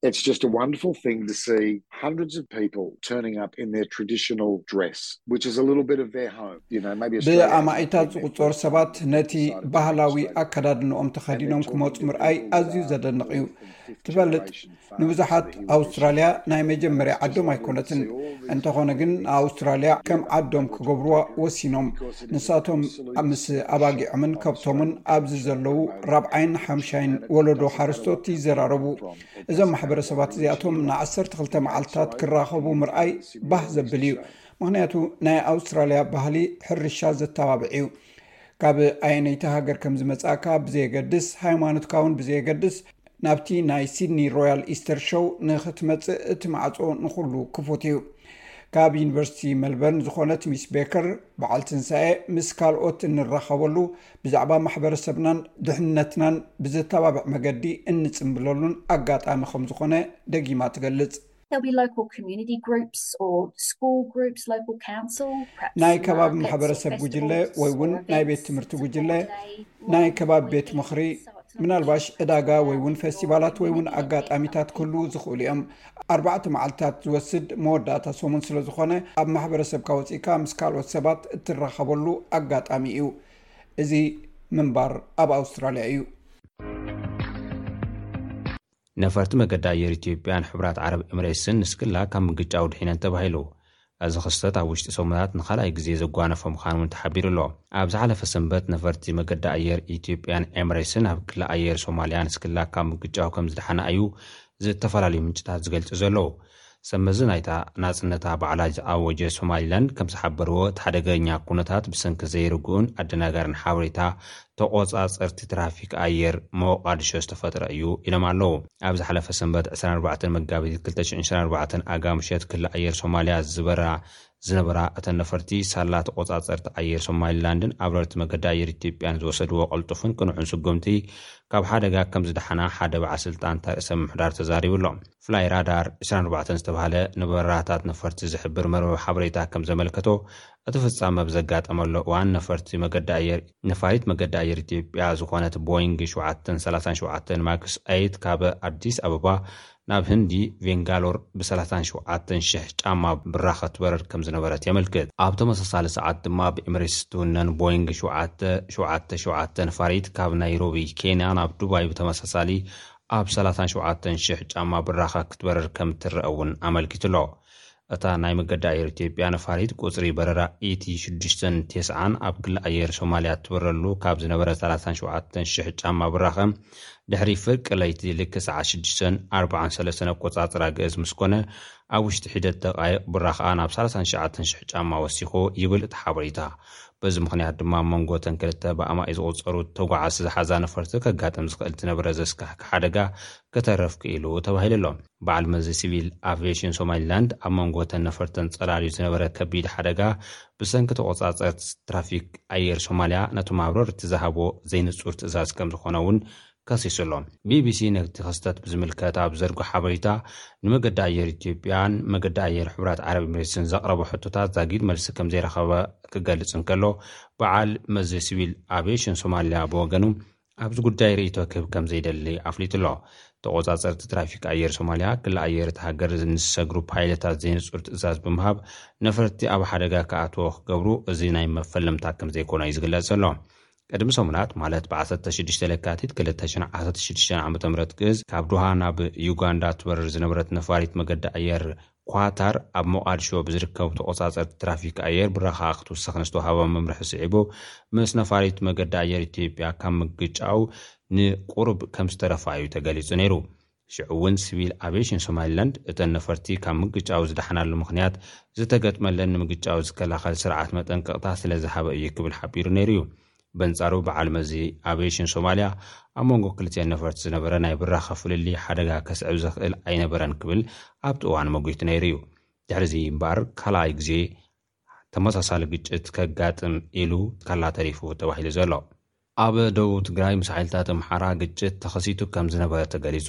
It's just a wonderful thing to see hundreds of people turning up in their traditional dress, which is a little bit of their home. You know, maybe ብኣማኢታት ዝቁጸሩ ሰባት ነቲ ባህላዊ ኣከዳድንኦም ተኸዲኖም ክመጹ ምርኣይ ኣዝዩ ዘደንቕ እዩ። ትፈልጥ፣ ንብዙሓት ኣውስትራልያ ናይ መጀመርያ ዓዶም ኣይኮነትን። እንተኾነ ግን ንኣውስትራልያ ከም ዓዶም ክገብርዋ ወሲኖም። ንሳቶም ምስ ኣባጊዖምን ከብቶምን ኣብዚ ዘለዉ ራብዓይን ሓምሻይን ወለዶ ሓረስቶት ይዘራረቡ። እዞም ማሕበረሰባት እዚኣቶም ንዓሰርተ ክልተ መዓልታት ክራኸቡ ምርኣይ ባህ ዘብል እዩ። ምኽንያቱ ናይ ኣውስትራልያ ባህሊ ሕርሻ ዘተባብዕ እዩ። ካብ ኣየነይቲ ሃገር ከም ዝመጻእካ ብዘየገድስ፣ ሃይማኖትካ እውን ብዘየገድስ፣ ናብቲ ናይ ሲድኒ ሮያል ኢስተር ሾው ንኽትመጽእ እቲ ማዕጾ ንኹሉ ክፉት እዩ። ካብ ዩኒቨርሲቲ መልበርን ዝኾነት ሚስ ቤከር፣ በዓል ትንሳኤ፣ ምስ ካልኦት እንራኸበሉ፣ ብዛዕባ ማሕበረሰብናን ድሕነትናን ብዘተባብዕ መገዲ እንጽምብለሉን ኣጋጣሚ ከም ዝኾነ ደጊማ ትገልጽ። There'll be local community groups or school groups, local council, perhaps ናይ ከባቢ ማሕበረሰብ ጉጅለ ወይ እውን ናይ ቤት ትምህርቲ ጉጅለ፣ ናይ ከባቢ ቤት ምኽሪ፣ ምናልባሽ ዕዳጋ ወይ እውን ፌስቲቫላት ወይ እውን ኣጋጣሚታት ክህልዉ ዝኽእሉ እዮም። ኣርባዕተ መዓልታት ዝወስድ መወዳእታ ሰሙን ስለ ዝኾነ፣ ኣብ ማሕበረሰብካ ወፂእካ ምስ ካልኦት ሰባት እትራኸበሉ ኣጋጣሚ እዩ። እዚ ምንባር ኣብ ኣውስትራልያ እዩ። ነፈርቲ መገዲ ኣየር ኢትዮጵያን ሕቡራት ዓረብ ኤምሬትስን ንስክላ ካብ ምግጫው ድሒነን ተባሂሉ። እዚ ክስተት ኣብ ውሽጢ ሰሙናት ንኻልኣይ ግዜ ዘጓነፈ ምዃኑ እውን ተሓቢሩ ኣሎ። ኣብ ዝሓለፈ ሰንበት ነፈርቲ መገዲ ኣየር ኢትዮጵያን ኤምሬትስን ኣብ ክሊ ኣየር ሶማልያ ንስክላ ካብ ምግጫው ከም ዝደሓና እዩ ዝተፈላለዩ ምንጭታት ዝገልጹ ዘለዉ። ሰመዚ ናይታ ናጽነታ ባዕላ ዝኣወጀ ሶማሊላንድ ከም ዝሓበርዎ፣ እቲ ሓደገኛ ኩነታት ብሰንኪ ዘይርግኡን ኣደናጋርን ሓበሬታ ተቆጻጸርቲ ትራፊክ ኣየር ሞቃድሾ ዝተፈጥረ እዩ ኢሎም ኣለዉ። ኣብ ዝሓለፈ ሰንበት ዕስራን ኣርባዕተን መጋቢት ክልተ ሽሕን ዕስራን ኣርባዕተን ኣጋ ምሸት ክሊ ኣየር ሶማልያ ዝበራ ዝነበራ እተን ነፈርቲ፣ ሳላ ተቆጻጸርቲ ኣየር ሶማሊላንድን ኣብረርቲ መገዲ ኣየር ኢትዮጵያን ዝወሰድዎ ቅልጡፍን ቅኑዕን ስጉምቲ፣ ካብ ሓደጋ ከም ዝደሓና ሓደ በዓል ስልጣን እታ ርእሰ ምምሕዳር ተዛሪቡ ኣሎ። ፍላይ ራዳር ዕስራን ኣርባዕተን ዝተባህለ ንበረራታት ነፈርቲ ዝሕብር መርበብ ሓበሬታ ከም ዘመልከቶ፣ እቲ ፍጻመ ብዘጋጠመሉ እዋን ነፈርቲ መገዲ ኣየር ነፋሪት መገዲ ኣየር ኢትዮጵያ ዝኾነት ቦይንግ ሸውዓተ ሰላሳ ሸውዓተ ማክስ ኤይት ካብ ኣዲስ ኣበባ ናብ ህንዲ ቬንጋሎር ብ ሰላሳን ሸውዓተን ሽሕ ጫማ ብራኸ ትበረር ከም ዝነበረት የመልክት። ኣብ ተመሳሳሊ ሰዓት ድማ ብኤምሬትስ ትውነን ቦይንግ ሸውዓተ ሸውዓተ ሸውዓተ ነፋሪት ካብ ናይሮቢ ኬንያ ናብ ዱባይ ብተመሳሳሊ ኣብ ሰላሳን ሸውዓተን ሽሕ ጫማ ብራኸ ክትበረር ከም ትረአ እውን ኣመልኪቱ ኣሎ። እታ ናይ መገዲ ኣየር ኢትዮጵያ ነፋሪት ቁጽሪ በረራ ኢቲ ሽዱሽተን ተስዓን ኣብ ክሊ ኣየር ሶማልያ ትበረሉ ካብ ዝነበረ ሰላሳን ሸውዓተን ሽሕ ጫማ ብራኸ ድሕሪ ፍርቂ ለይቲ ልክዕ ሰዓት ሽዱሽተን ኣርባዓን ሰለስተን ኣቆጻጽራ ግእዝ ምስ ኮነ፣ ኣብ ውሽጢ ሒደት ደቃይቕ ብራኸኣ ናብ ሰላሳን ትሽዓተን ሽሕ ጫማ ወሲኹ ይብል እቲ ሓበሬታ። በዚ ምኽንያት ድማ ኣብ መንጎ እተን ክልተ ብኣማኢ ዝቑጸሩ ተጓዓዝቲ ዝሓዛ ነፈርቲ ከጋጥም ዝኽእል ዝነበረ ዘስካሕክሕ ሓደጋ ክተርፍ ክኢሉ ተባሂሉ ኣሎ። በዓል መዚ ሲቪል ኣቪዬሽን ሶማሊላንድ፣ ኣብ መንጎ እተን ነፈርተን ጸላልዩ ዝነበረ ከቢድ ሓደጋ ብሰንኪ ተቆጻጸርቲ ትራፊክ ኣየር ሶማልያ ነቶም ኣብረርቲ ዝሃቦ ዘይንጹር ትእዛዝ ከም ዝኾነ እውን ከሲሱ ኣሎ። ቢቢሲ ነቲ ክስተት ብዝምልከት ኣብ ዘርግሖ ሓበሬታ፣ ንመገዲ ኣየር ኢትዮጵያን መገዲ ኣየር ሕቡራት ዓረብ ኤምሬትስን ዘቕረቦ ሕቶታት ዛጊድ መልሲ ከም ዘይረኸበ ክገልጽ እንከሎ፣ በዓል መዚ ሲቪል ኣቪዬሽን ሶማልያ ብወገኑ፣ ኣብዚ ጉዳይ ርእይቶ ክህብ ከም ዘይደሊ ኣፍሊጡ ኣሎ። ተቆጻጸርቲ ትራፊክ ኣየር ሶማልያ፣ ክሊ ኣየር እታ ሃገር ንዝሰግሩ ፓይለታት ዘይንጹር ትእዛዝ ብምሃብ፣ ነፈርቲ ኣብ ሓደጋ ክኣትዎ ክገብሩ፣ እዚ ናይ መፈለምታ ከም ዘይኮነ እዩ ዝግለጽ ዘሎ። ቅድሚ ሰሙናት፣ ማለት ብ ዓሰርተ ሽዱሽተ ለካቲት ክልተ ሽሕን ዓሰርተ ሽዱሽተን ዓመተ ምህረት ግእዝ፣ ካብ ዶሃ ናብ ዩጋንዳ ትበርር ዝነበረት ነፋሪት መገዲ ኣየር ኳታር፣ ኣብ ሞቓድሾ ብዝርከቡ ተቆጻጸርቲ ትራፊክ ኣየር ብራኸኣ ክትውሰኽ ንዝተዋህቦ መምርሒ ስዒቡ፣ ምስ ነፋሪት መገዲ ኣየር ኢትዮጵያ ካብ ምግጫው ንቁሩብ ከም ዝተረፋ እዩ ተገሊጹ ነይሩ። ሽዑ እውን ሲቪል ኣቪዬሽን ሶማሊላንድ፣ እተን ነፈርቲ ካብ ምግጫው ዝደሓናሉ ምኽንያት ዝተገጥመለን ንምግጫው ዝከላኸል ስርዓት መጠንቀቕታ ስለ ዝሃበ እዩ ክብል ሓቢሩ ነይሩ እዩ። በንጻሩ፣ በዓል መዚ ኣቪዬሽን ሶማልያ፣ ኣብ መንጎ ክልቲኤን ነፈርቲ ዝነበረ ናይ ብራኸ ፍልልይ ሓደጋ ከስዕብ ዘኽእል ኣይነበረን ክብል ኣብቲ እዋን መጒቱ ነይሩ እዩ። ድሕሪ እዚ እምበኣር፣ ካልኣይ ግዜ ተመሳሳሊ ግጭት ከጋጥም ኢሉ ካላ ተሪፉ ተባሂሉ ዘሎ። ኣብ ደቡብ ትግራይ ምስ ሓይልታት ኣምሓራ ግጭት ተኸሲቱ ከም ዝነበረ ተገሊጹ።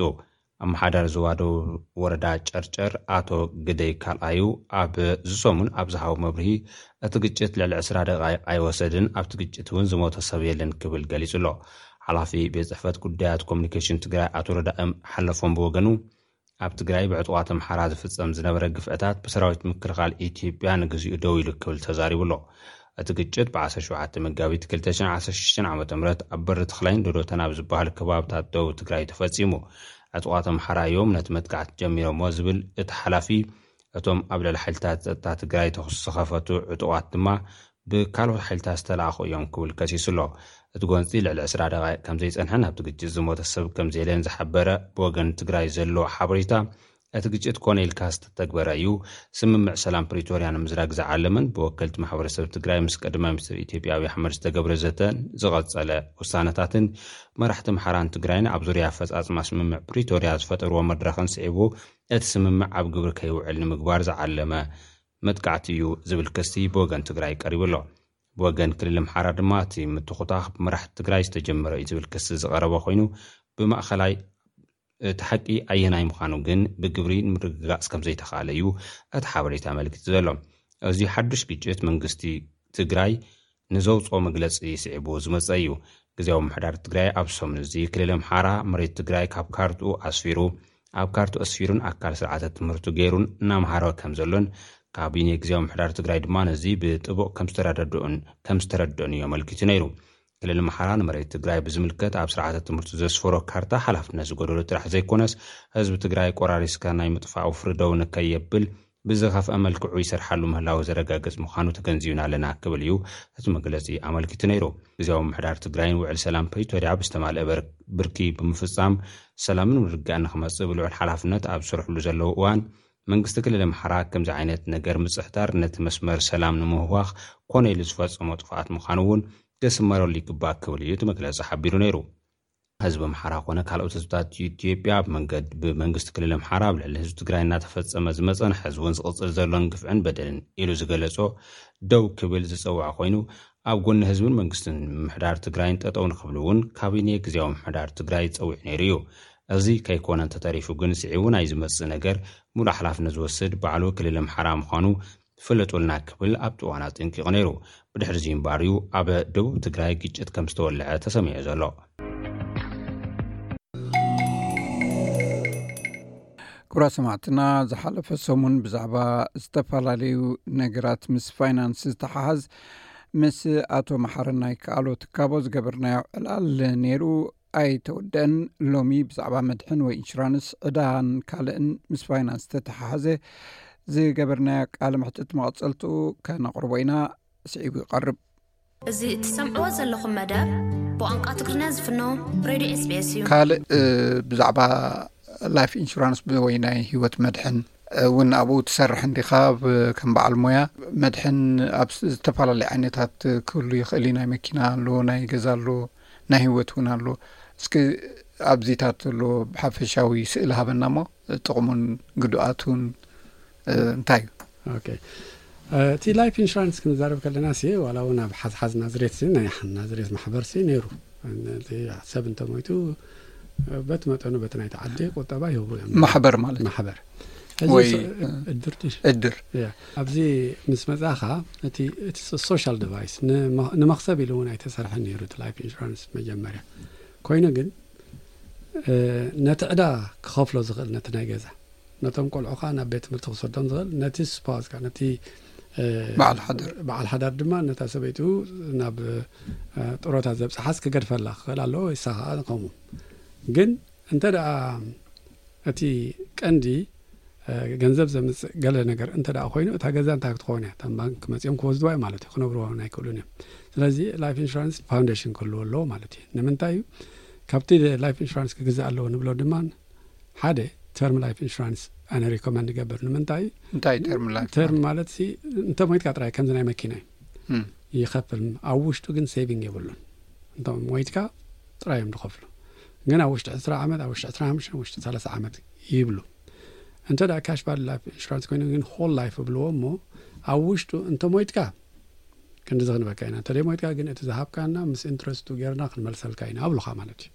ኣመሓዳሪ ዞባ ደቡብ ወረዳ ጨርጨር ኣቶ ግደይ ካልኣዩ ኣብዚ ሰሙን ኣብ ዝሃቦ መብርሂ፣ እቲ ግጭት ልዕሊ ዕስራ ደቃይቕ ኣይወሰድን፣ ኣብቲ ግጭት እውን ዝሞተ ሰብ የለን ክብል ገሊጹ ኣሎ። ሓላፊ ቤት ጽሕፈት ጉዳያት ኮሙኒኬሽን ትግራይ ኣቶ ረዳእም ሓለፎም ብወገኑ፣ ኣብ ትግራይ ብዕጡቓት ኣምሓራ ዝፍጸም ዝነበረ ግፍዕታት ብሰራዊት ምክልኻል ኢትዮጵያ ንግዚኡ ደው ኢሉ ክብል ተዛሪቡ ኣሎ። እቲ ግጭት ብ17 መጋቢት ክልተ ሽሕን ዓሰርተ ሽዱሽተን ዓመተ ምህረት ኣብ በሪ ተኽላይን ዶዶተን ኣብ ዝበሃል ከባብታት ደቡብ ትግራይ ተፈጺሙ። ዕጡቓት ኣምሓራ እዮም ነቲ መጥቃዕቲ ጀሚሮሞ ዝብል እቲ ሓላፊ፣ እቶም ኣብ ልዕሊ ሓይልታት ጸጥታ ትግራይ ተኹሲ ዝኸፈቱ ዕጡቓት ድማ ብካልኦት ሓይልታት ዝተላእኹ እዮም ክብል ከሲሱ ኣሎ። እቲ ጎንፂ ልዕሊ ዕስራ ደቓይቕ ከም ዘይጸንሐን ኣብቲ ግጭት ዝሞተ ሰብ ከም ዘየለን ዝሓበረ ብወገን ትግራይ ዘሎ ሓበሬታ፣ እቲ ግጭት ኮነ ኢልካ ዝተተግበረ እዩ። ስምምዕ ሰላም ፕሪቶርያ ንምዝራግ ዝዓለመን ብወከልቲ ማሕበረሰብ ትግራይ ምስ ቀዳማይ ሚኒስትር ኢትዮጵያ ኣብይ ኣሕመድ ዝተገብረ ዘተን ዝቐጸለ ውሳነታትን መራሕቲ ኣምሓራን ትግራይን ኣብ ዙርያ ኣፈጻጽማ ስምምዕ ፕሪቶርያ ዝፈጠርዎ መድረኽን ስዒቡ፣ እቲ ስምምዕ ኣብ ግብሪ ከይውዕል ንምግባር ዝዓለመ መጥቃዕቲ እዩ ዝብል ክሲ ብወገን ትግራይ ቀሪቡ ኣሎ። ብወገን ክልል ኣምሓራ ድማ እቲ ምትኹታኽ ብመራሕቲ ትግራይ ዝተጀመረ እዩ ዝብል ክሲ ዝቐረበ ኮይኑ፣ ብማእኸላይ እቲ ሓቂ ኣየናይ ምዃኑ ግን ብግብሪ ንምርግጋፅ ከም ዘይተኻእለ እዩ እቲ ሓበሬታ ኣመልኪቱ ዘሎ። እዚ ሓዱሽ ግጭት መንግስቲ ትግራይ ንዘውፅኦ መግለፂ ስዒቡ ዝመፀ እዩ። ግዜያዊ ምምሕዳር ትግራይ ኣብ ሰሙን እዚ ክልል ኣምሓራ መሬት ትግራይ ካብ ካርትኡ ኣስፊሩ፣ ኣብ ካርትኡ ኣስፊሩን ኣካል ስርዓተ ትምህርቱ ገይሩን እናምሃረ ከም ዘሎን፣ ካቢኔ ግዜያዊ ምምሕዳር ትግራይ ድማ ነዚ ብጥቡቕ ከም ዝተረደድኡን ከም ዝተረድኦን እዩ ኣመልኪቱ ነይሩ። ክልል ኣምሓራ ንመሬት ትግራይ ብዝምልከት ኣብ ስርዓተ ትምህርቱ ዘስፈሮ ካርታ ሓላፍነት ዝጎደሎ ጥራሕ ዘይኮነስ፣ ህዝቢ ትግራይ ቆራሪስካ ናይ ምጥፋእ ወፍሪ ደው ንከየብል ብዝኸፍአ መልክዑ ይሰርሓሉ ምህላው ዘረጋግጽ ምዃኑ ተገንዚብና ኣለና ክብል እዩ እቲ መግለጺ ኣመልኪቱ ነይሩ። ግዜያዊ ምምሕዳር ትግራይን ውዕል ሰላም ፕሪቶርያ ብዝተማልአ በር-፣ ብርኪ ብምፍጻም ሰላምን ምርግጋእን ንኽመጽእ ብልዑል ሓላፍነት ኣብ ዝሰርሕሉ ዘለዉ እዋን፣ መንግስቲ ክልል ኣምሓራ ከምዚ ዓይነት ነገር ምጽሕታር ነቲ መስመር ሰላም ንምህዋኽ ኮነ ኢሉ ዝፈጸሞ ጥፍኣት ምዃኑ እውን ክስመረሉ ይግባእ ክብል እዩ እቲ መግለጺ ሓቢሩ ነይሩ። ህዝቢ ኣምሓራ ኮነ ካልኦት ህዝብታት ኢትዮጵያ ኣብ መንገድ-፣ ብመንግስቲ ክልል ኣምሓራ ኣብ ልዕሊ ህዝቢ ትግራይ እናተፈጸመ ዝመጸን ሕዚ እውን ዝቕጽል ዘሎን ግፍዕን በደልን ኢሉ ዝገለጾ ደው ክብል ዝጸውዐ ኮይኑ፣ ኣብ ጎኒ ህዝብን መንግስትን ምምሕዳር ትግራይን ጠጠው ንኽብሉ እውን ካቢኔ ግዜያዊ ምምሕዳር ትግራይ ጸዊዑ ነይሩ እዩ። እዚ ከይኮነ እንተተሪፉ ግን ስዒቡ ናይ ዝመጽእ ነገር ሙሉእ ሓላፍነት ዝወስድ ባዕሉ ክልል ኣምሓራ ምዃኑ ፍለጡልና ክብል ኣብቲ እዋን ኣጠንቂቑ ነይሩ። ብድሕሪ እዚ እምበኣር እዩ ኣብ ደቡብ ትግራይ ግጭት ከም ዝተወልዐ ተሰሚዑ ዘሎ። ክቡራት ሰማዕትና፣ ዝሓለፈ ሰሙን ብዛዕባ ዝተፈላለዩ ነገራት ምስ ፋይናንስ ዝተሓሓዝ ምስ ኣቶ መሓረና ይከኣሎ ትካቦ ዝገበርናዮ ዕላል ነይሩ ኣይተወደአን። ሎሚ ብዛዕባ መድሕን ወይ ኢንሹራንስ፣ ዕዳን ካልእን ምስ ፋይናንስ ዝተተሓሓዘ ዝገበርናዮ ቃለ መሕትት መቐጸልትኡ ከነቕርቦ ኢና። ስዒቡ ይቐርብ። እዚ እትሰምዕዎ ዘለኹም መደብ ብቋንቋ ትግርኛ ዝፍኖ ሬድዮ ኤስ ቢ ኤስ እዩ። ካልእ፣ እ፣ ብዛዕባ ላይፍ ኢንሹራንስ ብ-፣ ወይ ናይ ህይወት መድሕን፣ እ፣ እውን ኣብኡ ትሰርሕ እንዲኻ ብ-፣ ከም በዓል ሞያ? መድሕን ኣብ ስ-፣ ዝተፈላለዩ ዓይነታት ክህሉ ይኽእል እዩ። ናይ መኪና ኣሎ፣ ናይ ገዛ ኣሎ፣ ናይ ህይወት እውን ኣሎ። እስኪ ኣብዚታት ዘሎ ብሓፈሻዊ ስእሊ ሃበና እሞ፣ ጥቕሙን ግዱኣቱን፣ እ፣ እንታይ እዩ? ኦኬ። እ፣ እቲ ላይፍ ኢንሹራንስ ክንዛረብ ከለና ሲ፣ ዋላ እውን ኣብ ሓዝሓዝ ናዝሬት ሲ፣ ናይ ሓ-፣ ናዝሬት ማሕበር ሲ ነይሩ። እቲ ሰብ እንተሞይቱ፣ እ፣ በቲ መጠኑ በቲ ናይቲ ዓዲ ቁጠባ ይህቡ እዮም። ማሕበር ማለት እዩ። ማሕበር። እዚ ወይ፣ ሶ-፣ እ፣ እድር ድዩ? እድር። ያ። ኣብዚ ምስ መጻኻ፣ እቲ፣ እቲ ሶ-፣ ሶሻል ዲቫይስ ንመ-፣ ንመኽሰብ ኢሉ እውን ኣይተሰርሐን ነይሩ እቲ ላይፍ ኢንሹራንስ መጀመርያ። ኮይኑ ግን፣ እ፣ ነቲ ዕዳ ክኸፍሎ ዝኽእል ነቲ ናይ ገዛ፣ ነቶም ቆልዑ ኸኣ ናብ ቤት ትምህርቲ ክሰዶም ዝኽእል፣ ነቲ ስፓውስ ከኣ፣ ነቲ፣ እ፣ በዓል ሓዳር። በዓል ሓዳር ድማ ነታ ሰበይቱ ናብ፣ እ፣ ጥሮታ ዘብጽሓስ ክገድፈላ ክኽእል ኣለዎ፣ ወይ ንሳ ኸኣ ከምኡ። ግን እንተ ደኣ እቲ ቀንዲ፣ እ፣ ገንዘብ ዘምጽእ ገለ ነገር እንተ ደኣ ኮይኑ፣ እታ ገዛ እንታይ ክትኸውን እያ? እታ ባንክ መጺኦም ክወስድዋ እዮም ማለት እዩ፣ ክነብርዋ እውን ኣይክእሉን እዮም። ስለዚ ላይፍ ኢንሹራንስ ፋውንዴሽን ክህልዎ ኣለዎ ማለት እዩ። ንምንታይ እዩ? ካብቲ ላይፍ ኢንሹራንስ ክግዛእ ኣለዎ ንብሎ ድማ፣ ሓደ፣ ተርም ላይፍ ኢንሹራንስ ኣነ ሪኮመንድ ይገብር። ንምንታይ? እንታይ ተርም ላይፍ ተርም ማለት? ማለት ሲ፣ እንተ ሞይትካ ጥራይ ከምዚ ናይ መኪና እዩ። እም። ይኸፍል። ኣብ ውሽጡ ግን ሴቪንግ የብሉን። እንተ ሞይትካ ጥራይ እዮም ዝኸፍሉ። ግን ኣብ ውሽጢ ዕስራ ዓመት፣ ኣብ ውሽጢ ዕስራን ሓሙሽተን፣ ውሽጢ ሰላሳ ዓመት ይብሉ። እንተ ደኣ ካሽ ቫልዩ ላይፍ ኢንሹራንስ ኮይኑ ግን ሆል ላይፍ ይብልዎ እሞ፣ ኣብ ውሽጡ እንተ ሞይትካ ክንድዚ ክንበካ ኢና። እንተ ደይ ሞይትካ ግን እቲ ዝሃብካና ምስ ኢንትረስቱ ጌርና ክንመልሰልካ ኢና ኣብሉኻ ማለት እዩ።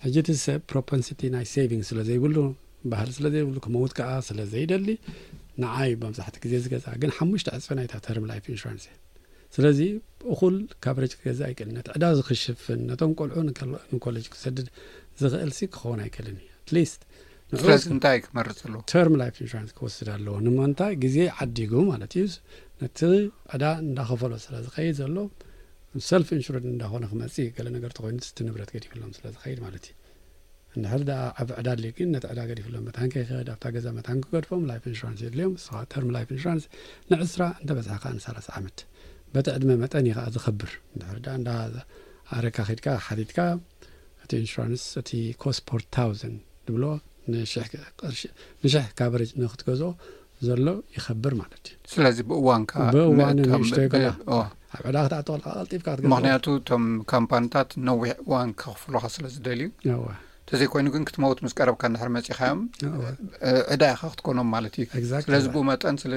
ሕጂ እቲ ሰብ ፕሮፐንሲቲ ናይ ሴቪንግ ስለ ዘይብሉ፣ ባህሊ ስለ ዘይብሉ፣ ክመውት ከኣ ስለ ዘይደሊ፣ ንዓይ መብዛሕትኡ ግዜ ዝገዝኣ ግን ሓሙሽተ ዕጽፊ ናይታ ተርም ላይፍ ኢንሹራንስ እያ። ስለዚ እኹል ካቨሬጅ ክገዝእ ኣይክእልን። ነቲ ዕዳ እዚ ክሽፍን፣ ነቶም ቆልዑ ንከል-፣ ንኮሌጅ ክሰድድ ዝኽእል ሲ ክኸውን ኣይክእልን እዩ። ኣትሊስት ስለዚ እንታይ ክመርጽ ኣለዎ? Term life insurance ክወስድ ኣለዎ። ንምንታይ? ግዜ ዓዲጉ ማለት እዩ። ነቲ ዕዳ እንዳኸፈሎ ስለ ዝኸይድ ዘሎ፣ ሰልፍ ኢንሹርድ እንዳኾነ ክመጽእ፣ ገለ ነገር ተኾይኑ እቲ ንብረት ገዲፍሎም ስለ ዝኸይድ ማለት እዩ። እንድሕር ደኣ ዓቢ ዕዳ ኣድልዩ ግን ነቲ ዕዳ ገዲፍሎም መታን ከይኸድ ኣብታ ገዛ መታን ክገድፎም ላይፍ ኢንሹራንስ የድልዮም። ንስኻ ተርም ላይፍ ኢንሹራንስ ንዕስራ እንተ በዝሓ ከኣ ንሰላሳ ዓመት። በቲ ዕድመ መጠን እዩ ከኣ ዝኸብር። እንድሕር ደኣ እንዳ ኣረካ ኸድካ ሓቲትካ እቲ ኢንሹራንስ እቲ ኮስት ፐር ታውዘንድ ድብሎ ንሽሕ ቅርሺ፣ ንሽሕ ካቨሬጅ ንክትገዝኦ ዘሎ ይኸብር ማለት እዩ። ስለዚ ብእዋንካ ብእዋኑ ንእቶም ንእሽተይ ብ-፣ ከላ ኦ። ኣብ ዕዳ ክትኣቱ ከለካ ቀልጢፍካ ክትገዝኦ። ምኽንያቱ እቶም ካምፓኒታት ነዊሕ እዋን ከኽፍሉኻ ስለ ዝደልዩ፣ እወ። ተዘይኮይኑ ግን ክትመውት ምስ ቀረብካ እንድሕር መጺኻዮም፣ እወ። እ፣ ዕዳ ኢኻ ክትኮኖም ማለት እዩ። Exactly. ስለዚ ብኡ መጠን ስለ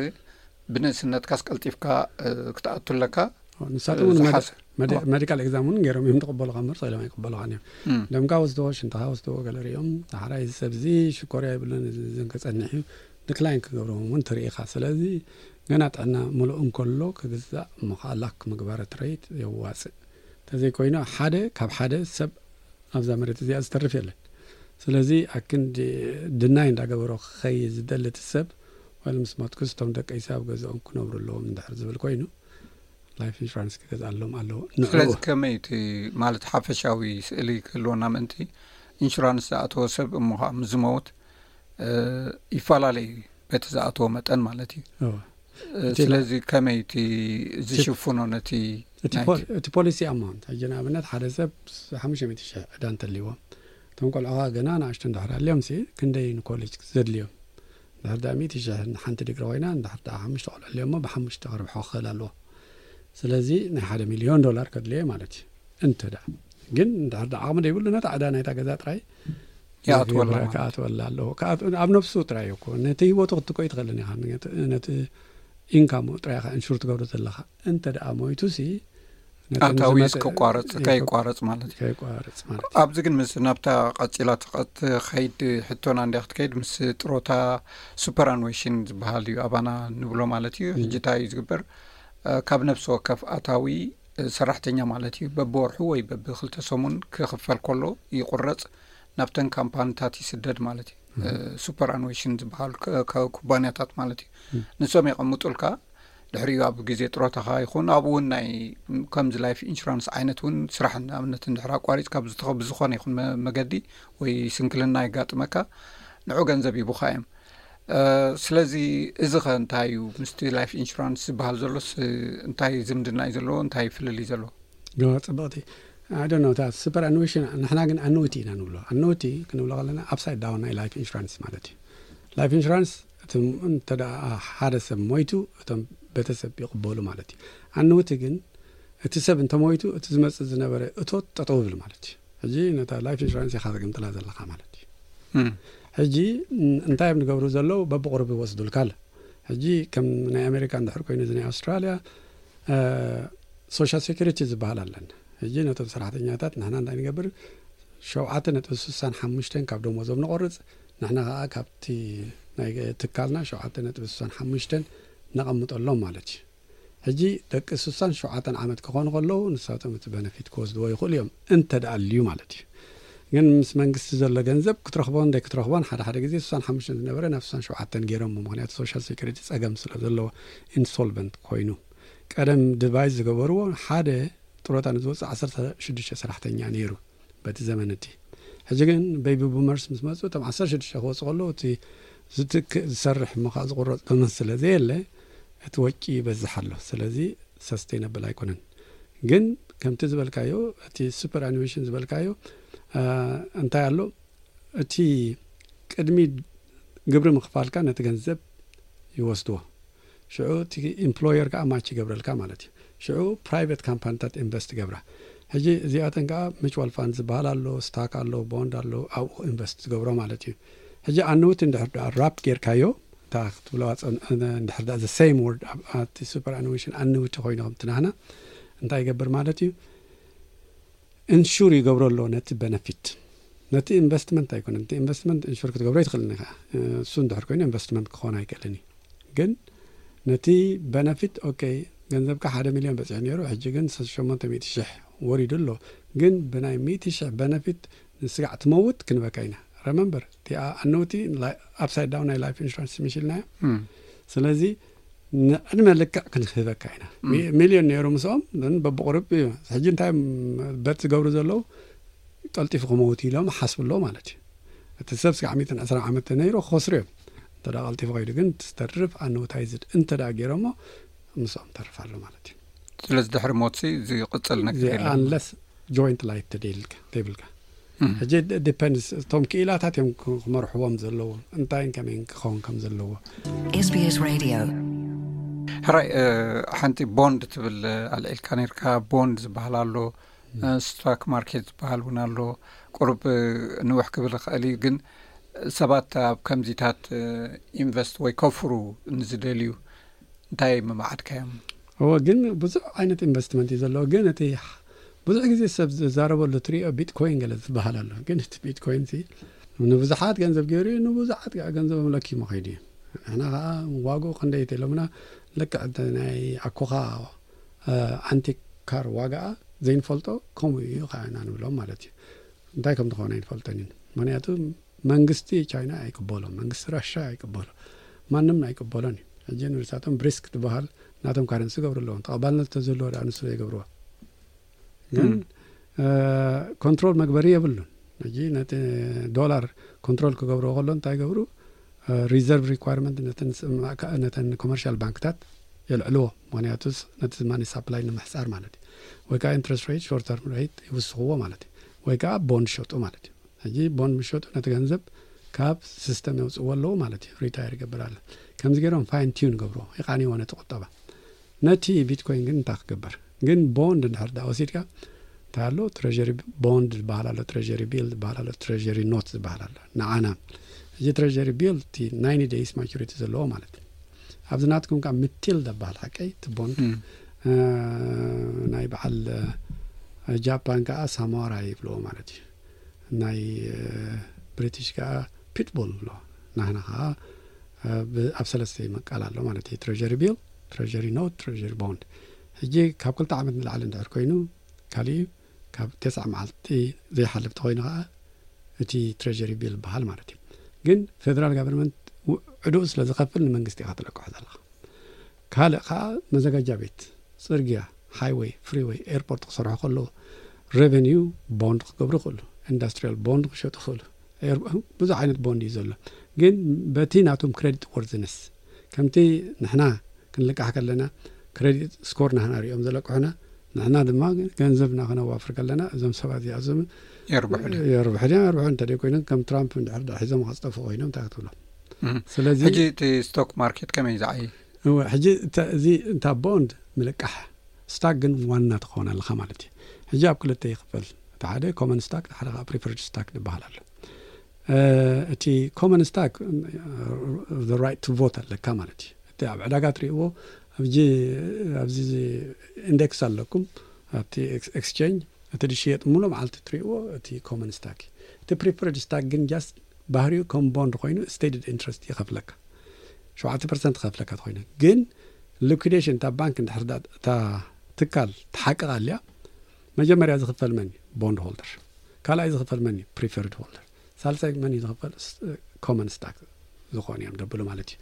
ብንእስነትካስ ቀልጢፍካ፣ እ፣ ክትኣቱ ኣለካ። ኦ፣ ንሳቶም እውን መዲ-፣ ዝሓስ-፣ መዲ-፣ ኦ። ሜዲካል ኤግዛም እውን ገይሮም እዮም ዝቕበሉኻ እምበር፣ ስኢሎም ኣይቅበሉኻን እዮም። እም። ደምካ ወስዶ፣ ሽንትኻ ወስዶ፣ ገለ ሪኦም፣ ዳሕራይ እዚ ሰብ እዚ ሽኮርያ ይብሉን፣ እዚ፣ እዚ ከጸንሕ እዩ፣ ዲክላይን ክገብሮም እውን ትርኢ ኢኻ። ስለዚ ገና ጥዕና ምሉእ እንከሎ ክግዛእ እሞ ኸኣ ላክ ምግባር ትረይት የዋጽእ። እንተዘይኮይኑ ሓደ ካብ ሓደ ሰብ ኣብዛ መሬት እዚኣ ዝተርፍ የለን። ስለዚ ኣክንዲ ድናይ እንዳገበሮ ክኸይድ ዝደሊ እቲ ሰብ፣ ወይ ምስ ሞትኩስ እቶም ደቀይሲ ኣብ ገዝኦም ክነብሩ ኣለዎም እንድሕር ዝብል ኮይኑ፣ ላይፍ ኢንሹራንስ ክገዝኣሎም ኣለዎ። ንዕኡ ስለዚ ከመይ እቲ ማለት ሓፈሻዊ ስእሊ ክህልወና ምእንቲ፣ ኢንሹራንስ ዝኣተወ ሰብ እሞ ኸኣ ምስ ዝመውት፣ እ፣ ይፈላለ እዩ በቲ ዝኣተወ መጠን ማለት እዩ። እወ። እ፣ እቲ ስለዚ ከመይ እቲ እቲ ዝሽፍኖ ነቲ እቲ ናይቲ ፖ-፣ እቲ ፖሊሲ ኣማውንት፣ ሕጂ ንኣብነት ሓደ ሰብ ሓሙሽተ ሚእቲ ሽሕ ዕዳ እንተልይዎ፣ እቶም ቆልዑ ኸኣ ገና ንኣሽቱ እንድሕር ኣልዮም ሲ፣ ክንደይ ንኮሌጅ ዘድልዮም? እንድሕር ደኣ ሚእቲ ሽሕ ንሓንቲ ዲግሪ ኮይና፣ እንድሕር ደኣ ሓሙሽተ ቆልዑ ኣልዮሞ ብሓሙሽተ ክርብሖ ክኽእል ኣለዎ። ስለዚ ናይ ሓደ ሚልዮን ዶላር ከድልዮ ማለት እዩ። እንተ ደኣ ግን እንድሕር ደኣ ዓቕሚ ዘይብሉ ነታ ዕዳ ናይታ ገዛ ጥራይ ይኣትወላ ይገብራ ማለት። ክኣትወላ ኣለዎ። ክኣት-፣ ኣብ ነፍሱ ጥራይ እኮ ነቲ ህይወቱ ክትትኮ ይትኽእልን ኢኻ። ነቲ፣ ነቲ ኢንካሙ ጥራይ ኢኻ ኢንሹር ትገብሮ ዘለኻ። እንተ ደኣ ሞይቱ ሲ፣ ነቲ ኣታዊ ንዝመጽእ ክቋረጽ፣ ይኮ-፣ ከይቋረጽ ማለት እዩ። ከይቋረጽ ማለት እዩ። ኣብዚ ግን ምስ ናብታ ቀጺላ ትኸ-፣ ትኸይድ ሕቶና እንድያ ክትከይድ ምስ ጥሮታ ሱፐር ኣኑዌሽን ዝበሃል እዩ ኣባና ንብሎ ማለት እዩ። እም። ሕጂ እንታይ እዩ ዝግበር? እ፣ ካብ ነፍሲ ወከፍ ኣታዊ፣ እ፣ ሰራሕተኛ ማለት እዩ በብወርሑ ወይ በብክልተ ሰሙን ክኽፈል ከሎ ይቑረጽ ናብተን ካምፓኒታት ይስደድ ማለት እዩ። እም። እ፣ ሱፐር ኣኑዌሽን ዝበሃሉ ከ-፣ ከ-፣ ኩባንያታት ማለት እዩ። እም። ንሶም የቐምጡልካ። ድሕሪኡ ኣብ ግዜ ጥሮታኻ ይኹን ኣብኡ እውን ናይ ከምዚ ላይፍ ኢንሹራንስ ዓይነት እውን ስራሕ ንኣብነት እንድሕር ኣቋሪጽካ ብዝተኸ-፣ ብዝኾነ ይኹን መ-፣ መገዲ ወይ ስንክልና የጋጥመካ ንዑ ገንዘብ ይቡኻ እዮም። እ፣ ስለዚ እዚ ኸ እንታይ እዩ? ምስቲ ላይፍ ኢንሹራንስ ዝበሃል ዘሎስ እንታይ ዝምድና እዩ ዘለዎ? እንታይ ፍልልይ ዘለዎ? ዮ፣ ጽብቕቲ። I don't know፣ እታ ሱፐር ኣኑዌሽን፣ ንሕና ግን ኣኑዊቲ ኢና ንብሎ። ኣኑዊቲ ክንብሎ ከለና ኣፕሳይድ ዳውን ናይ ላይፍ ኢንሹራንስ ማለት እዩ። ላይፍ ኢንሹራንስ እቲ ም-፣ እንተ ደኣ ሓደ ሰብ ሞይቱ፣ እቶም ቤተሰብ ይቕበሉ ማለት እዩ። ኣኑዊቲ ግን እቲ ሰብ እንተሞይቱ፣ እቲ ዝመጽእ ዝነበረ እቶት ጠጠው ይብል ማለት እዩ። ሕጂ ነታ ላይፍ ኢንሹራንስ ኢኻ ትግምጥላ ዘለኻ ማለት እዩ። እም። ሕጂ፣ ም-፣ እንታይ እዮም ዝገብሩ ዘለዉ? በብቑሩብ ይወስዱልካ ኣሎ። ሕጂ ከም ናይ ኣሜሪካ እንድሕር ኮይኑ፣ እዚ ናይ ኣውስትራልያ፣ እ፣ ሶሻል ሴኩሪቲ ዝበሃል ኣለን። ሕጂ ነቶም ሰራሕተኛታት ንሕና እንታይ ንገብር? ሸውዓተ ነጥቢ ስሳን ሓሙሽተን ካብ ደሞዞም ንቆርጽ። ንሕና ከኣ ካብቲ ናይ ትካልና ሸውዓተ ነጥቢ ስሳን ሓሙሽተን ነቐምጠሎም ማለት እዩ። ሕጂ ደቂ ስሳን ሸውዓተን ዓመት ክኾኑ ከለዉ፣ ንሳቶም እቲ በነፊት ክወስድዎ ይኽእሉ እዮም፣ እንተ ደኣ ኣልዩ ማለት እዩ። ግን ምስ መንግስቲ ዘሎ ገንዘብ ክትረኽቦን ዘይክትረኽቦን፣ ሓደ ሓደ ግዜ ስሳን ሓሙሽተን ዝነበረ ናብ ስሳን ሸውዓተን ገይሮሞ፣ ምኽንያቱ ሶሻል ሴኩሪቲ ጸገም ስለ ዘለዎ፣ ኢንሶልቨንት ኮይኑ። ቀደም ዲቫይስ ዝገበርዎ፣ ሓደ ጥሮታ ንዝወጽእ ዓሰርተ ሽዱሽተ ሰራሕተኛ ነይሩ በቲ ዘመን እቲ። ሕጂ ግን ቤቢ ቡመርስ ምስ መጹ፣ እቶም ዓሰርተ ሽዱሽተ ክወጹ ከለዉ፣ እቲ ዝትክእ ዝሰርሕ እሞ ከኣ ዝቑረጽ ገመት ስለ ዘየለ፣ እቲ ወጪ ይበዝሕ ኣሎ። ስለዚ ሰስቴይነብል ኣይኮነን። ግን ከምቲ ዝበልካዮ፣ እቲ ሱፐር ኣኑዌሽን ዝበልካዮ፣ እ፣ እንታይ ኣሎ? እቲ ቅድሚ ግብሪ ምኽፋልካ ነቲ ገንዘብ ይወስድዎ። ሽዑ እቲ ኢምፕሎየር ከኣ ማች ይገብረልካ ማለት እዩ። ሽዑ ፕራይቬት ካምፓኒታት ኢንቨስት ይገብራ። ሕጂ እዚኣተን ከኣ ሚቹዋል ፋንድ ዝበሃል ኣሎ፣ ስታክ ኣሎ፣ ቦንድ ኣሎ፣ ኣብኡ ኢንቨስት ዝገብሮ ማለት እዩ። ሕጂ ኣንውቲ እንድሕር ደኣ ራፕ ጌርካዮ፣ እታ ክትብለዋ ጸን-፣ እንድሕር ደኣ ዘ ሴም ወርድ ኣብ፣ ኣብቲ ሱፐር ኣኑዌሽን ኣንውቲ ኮይኑ ከምቲ ናህና እንታይ ይገብር ማለት እዩ? ኢንሹር ይገብሮ ኣሎ ነቲ በነፊት። ነቲ ኢንቨስትመንት ኣይኮነን። ነቲ ኢንቨስትመንት ኢንሹር ክትገብሮ ኣይትኽእልን ኢኻ። እሱ እንድሕር ኮይኑ ኢንቨስትመንት ክኾን ኣይክእልን እዩ። ግን ነቲ በነፊት፣ ኦኬ፣ ገንዘብካ ሓደ ሚልዮን በጺሑ ነይሩ፣ ሕጂ ግን ሸሞንተ ሚእቲ ሽሕ ወሪዱ ኣሎ። ግን ብናይ ሚእቲ ሽሕ በነፊት ንስጋዕ ትመውት ክንበካ ኢና። remember እቲ ኣነውቲ upside down ናይ life insurance ምሽ ኢልናዮ። ስለዚ ንዕድመ ልክዕ ክንህበካ ኢና። ሚልዮን ነይሩ ምስኦም፣ ግን በብቑርብ እዩ። ሕጂ እንታይ በቲ ዝገብሩ ዘለዉ፣ ቀልጢፉ ክመውት ኢሎም ሓስብሎ ማለት እዩ። እቲ ሰብ ስጋዕ ሚእትን ዕስራን ዓመት ተነይሩ ክኸስሩ እዮም። እንተ ደኣ ቀልጢፉ ከይዱ ግን ዝተርፍ ኣነውታይዝድ እንተ ደኣ ገይሮሞ ምስኦም ተርፍ ኣሎ ማለት እዩ። ስለዚ ድሕሪ ሞትሲ ዝቕጽል ነገር የለን። Unless joint life ተደይልካ ተይብልካ። ሕጂ ዲፐንድስ እቶም ክኢላታት እዮም ክመርሕዎም ዘለዉ፣ እንታይን ከመይን ክኸውን ከም ዘለዎ። SBS Radio ሕራይ፣ ሓንቲ ቦንድ ትብል ኣልዒልካ ነርካ። ቦንድ ዝበሃል ኣሎ፣ ስቶክ ማርኬት ዝበሃል እውን ኣሎ። ቁሩብ ንውሕ ክብል ይኽእል እዩ፣ ግን ሰባት ኣብ ከምዚታት ኢንቨስት ወይ ከፍሩ ንዝደልዩ እንታይ ምማዓድካዮም? እዎ፣ ግን ብዙሕ ዓይነት ኢንቨስትመንት እዩ ዘለዎ። ግን እቲ ብዙሕ ግዜ ሰብ ዝዛረበሉ ትሪኦ ቢትኮይን ገለ ዝበሃል ኣሎ። ግን እቲ ቢትኮይን ሲ ንብዙሓት ገንዘብ ገይሩ እዩ፣ ንብዙሓት ከዓ ገንዘቦም ለኪሙ ከይዱ እዩ። ንሕና ከዓ ዋግኡ ክንደይ ተኢሎምና፣ ልክዕ እቲ ናይ ኣኮኻ ኣንቲክ ካር ዋጋኣ ዘይንፈልጦ ከምኡ እዩ ከዓ ኢና ንብሎም ማለት እዩ። እንታይ ከም ዝኾነ ኣይንፈልጦን ኢና። ምክንያቱ መንግስቲ ቻይና ኣይቅበሎ፣ መንግስቲ ራሻ ኣይቅበሎ፣ ማንም ኣይቅበሎን እዩ። ሕጂ ንሳቶም ብሪስክ ትበሃል ናቶም ካረንሲ ይገብሩ ኣለዎም። ተቐባልነት ተዝህልዎ ደኣ ንሱ ዘይገብርዎ። ግን ኮንትሮል መግበሪ የብሉን። ሕጂ ነቲ ዶላር ኮንትሮል ክገብርዎ ከሎ እንታይ ይገብሩ? ሪዘርቭ ሪኳርመንት ነተን ኮመርሻል ባንክታት የልዕልዎ። ምክንያቱ ነቲ ማኒ ሳፕላይ ንምሕፃር ማለት እዩ። ወይ ከዓ ኢንትረስት ሬት፣ ሾርት ተርም ሬት ይውስኽዎ ማለት እዩ። ወይ ከዓ ቦንድ ሸጡ ማለት እዩ። ሕጂ ቦንድ ምሸጡ ነቲ ገንዘብ ካብ ሲስተም የውፅዎ ኣለዉ ማለት እዩ። ሪታየር ይገብር ኣለ። ከምዚ ገይሮም ፋይን ቲዩን ገብርዎ፣ ይቃንይዎ ነቲ ቁጠባ። ነቲ ቢትኮይን ግን እንታይ ክግበር? ግን ቦንድ እንድሕር ዳ ወሲድካ እንታይ ኣሎ? ትሬሪ ቦንድ ዝበሃል ኣሎ፣ ትሬሪ ቢል ዝበሃል ኣሎ፣ ትሬሪ ኖት ዝበሃል ኣሎ። ንዓና እዚ ትሬሪ ቢል እቲ ናይንቲ ደይስ ማቹሪቲ ዘለዎ ማለት እዩ። ኣብዚ ናትኩም ከዓ ምትል ደበሃል ሓቀይ እቲ ቦንድ ናይ በዓል ጃፓን ከዓ ሳሞራ ይብልዎ ማለት እዩ። ናይ ብሪቲሽ ከዓ ፒትቦል ይብልዎ። ናህና ከዓ ኣብ ሰለስተ ይመቃል ኣሎ ማለት እዩ። ትሬሪ ቢል፣ ትሬሪ ኖት፣ ትሬሪ ቦንድ። ሕጂ ካብ ክልተ ዓመት ንላዕሊ እንድሕር ኮይኑ ካሊእ ካብ ተስዓ መዓልቲ ዘይሓልፍ ተኮይኑ ከዓ እቲ ትሬሪ ቢል ይበሃል ማለት እዩ። ግን ፌደራል ጋቨርንመንት ዕድኡ ስለ ዝኸፍል ንመንግስቲ ኢኻ ትለቅሖ ዘለኻ። ካልእ ከዓ መዘጋጃ ቤት፣ ፅርግያ፣ ሃይወይ፣ ፍሪወይ፣ ኤርፖርት ክሰርሑ ከለዉ ሬቨኒዩ ቦንድ ክገብሩ ይኽእሉ፣ ኢንዳስትሪያል ቦንድ ክሸጡ ይኽእሉ። ብዙሕ ዓይነት ቦንድ እዩ ዘሎ። ግን በቲ ናቶም ክሬዲት ወርዝነስ ከምቲ ንሕና ክንልቃሕ ከለና ክሬዲት ስኮር ናህና ሪኦም ዘለቅሑና፣ ንሕና ድማ ገንዘብና ክነዋፍር ከለና እዞም ሰባት እዚኣዞም የርብሑ ድዮም? የርብሑ ድዮም? የርብሑ እንተደይ ኮይኖም ከም ትራምፕ እንድሕር ሒዞም ከፅጠፉ ኮይኖም እንታይ ክትብሎም? ስለዚ ሕጂ እቲ ስቶክ ማርኬት ከመይ ዝዓይ? እወ፣ ሕጂ እዚ እንታ ቦንድ ምልቃሕ ስታክ ግን ዋና ትኸውን ኣለኻ ማለት እዩ። ሕጂ ኣብ ክልተ ይኽፈል። እቲ ሓደ ኮመን ስታክ፣ እቲ ሓደ ከዓ ፕሪፈርድ ስታክ ዝበሃል ኣሎ። እቲ ኮመን ስታክ ራይት ቱ ቮት ኣለካ ማለት እዩ። እቲ ኣብ ዕዳጋ ትሪእዎ ኣብዚ ኢንደክስ ኣለኩም ኣብቲ ኤክስቼንጅ እቲ ዝሽየጥ ሙሉ መዓልቲ ትሪእዎ እቲ ኮመን ስታክ እዩ። እቲ ፕሪፈርድ ስታክ ግን ጃስት ባህሪኡ ከም ቦንድ ኮይኑ ስቴትድ ኢንትረስት ይኸፍለካ። ሸውዓተ ፐርሰንት ይኸፍለካ ተኮይነ ግን ሊኩዴሽን እታ ባንክ እንድሕር እታ ትካል ትሓቅቕ ኣልያ መጀመርያ ዝኽፈል መን እዩ? ቦንድ ሆልደር። ካልኣይ ዝኽፈል መን እዩ? ፕሪፈርድ ሆልደር። ሳልሳይ መን እዩ ዝኽፈል? ኮመን ስታክ ዝኾኑ እዮም ደብሉ ማለት እዩ።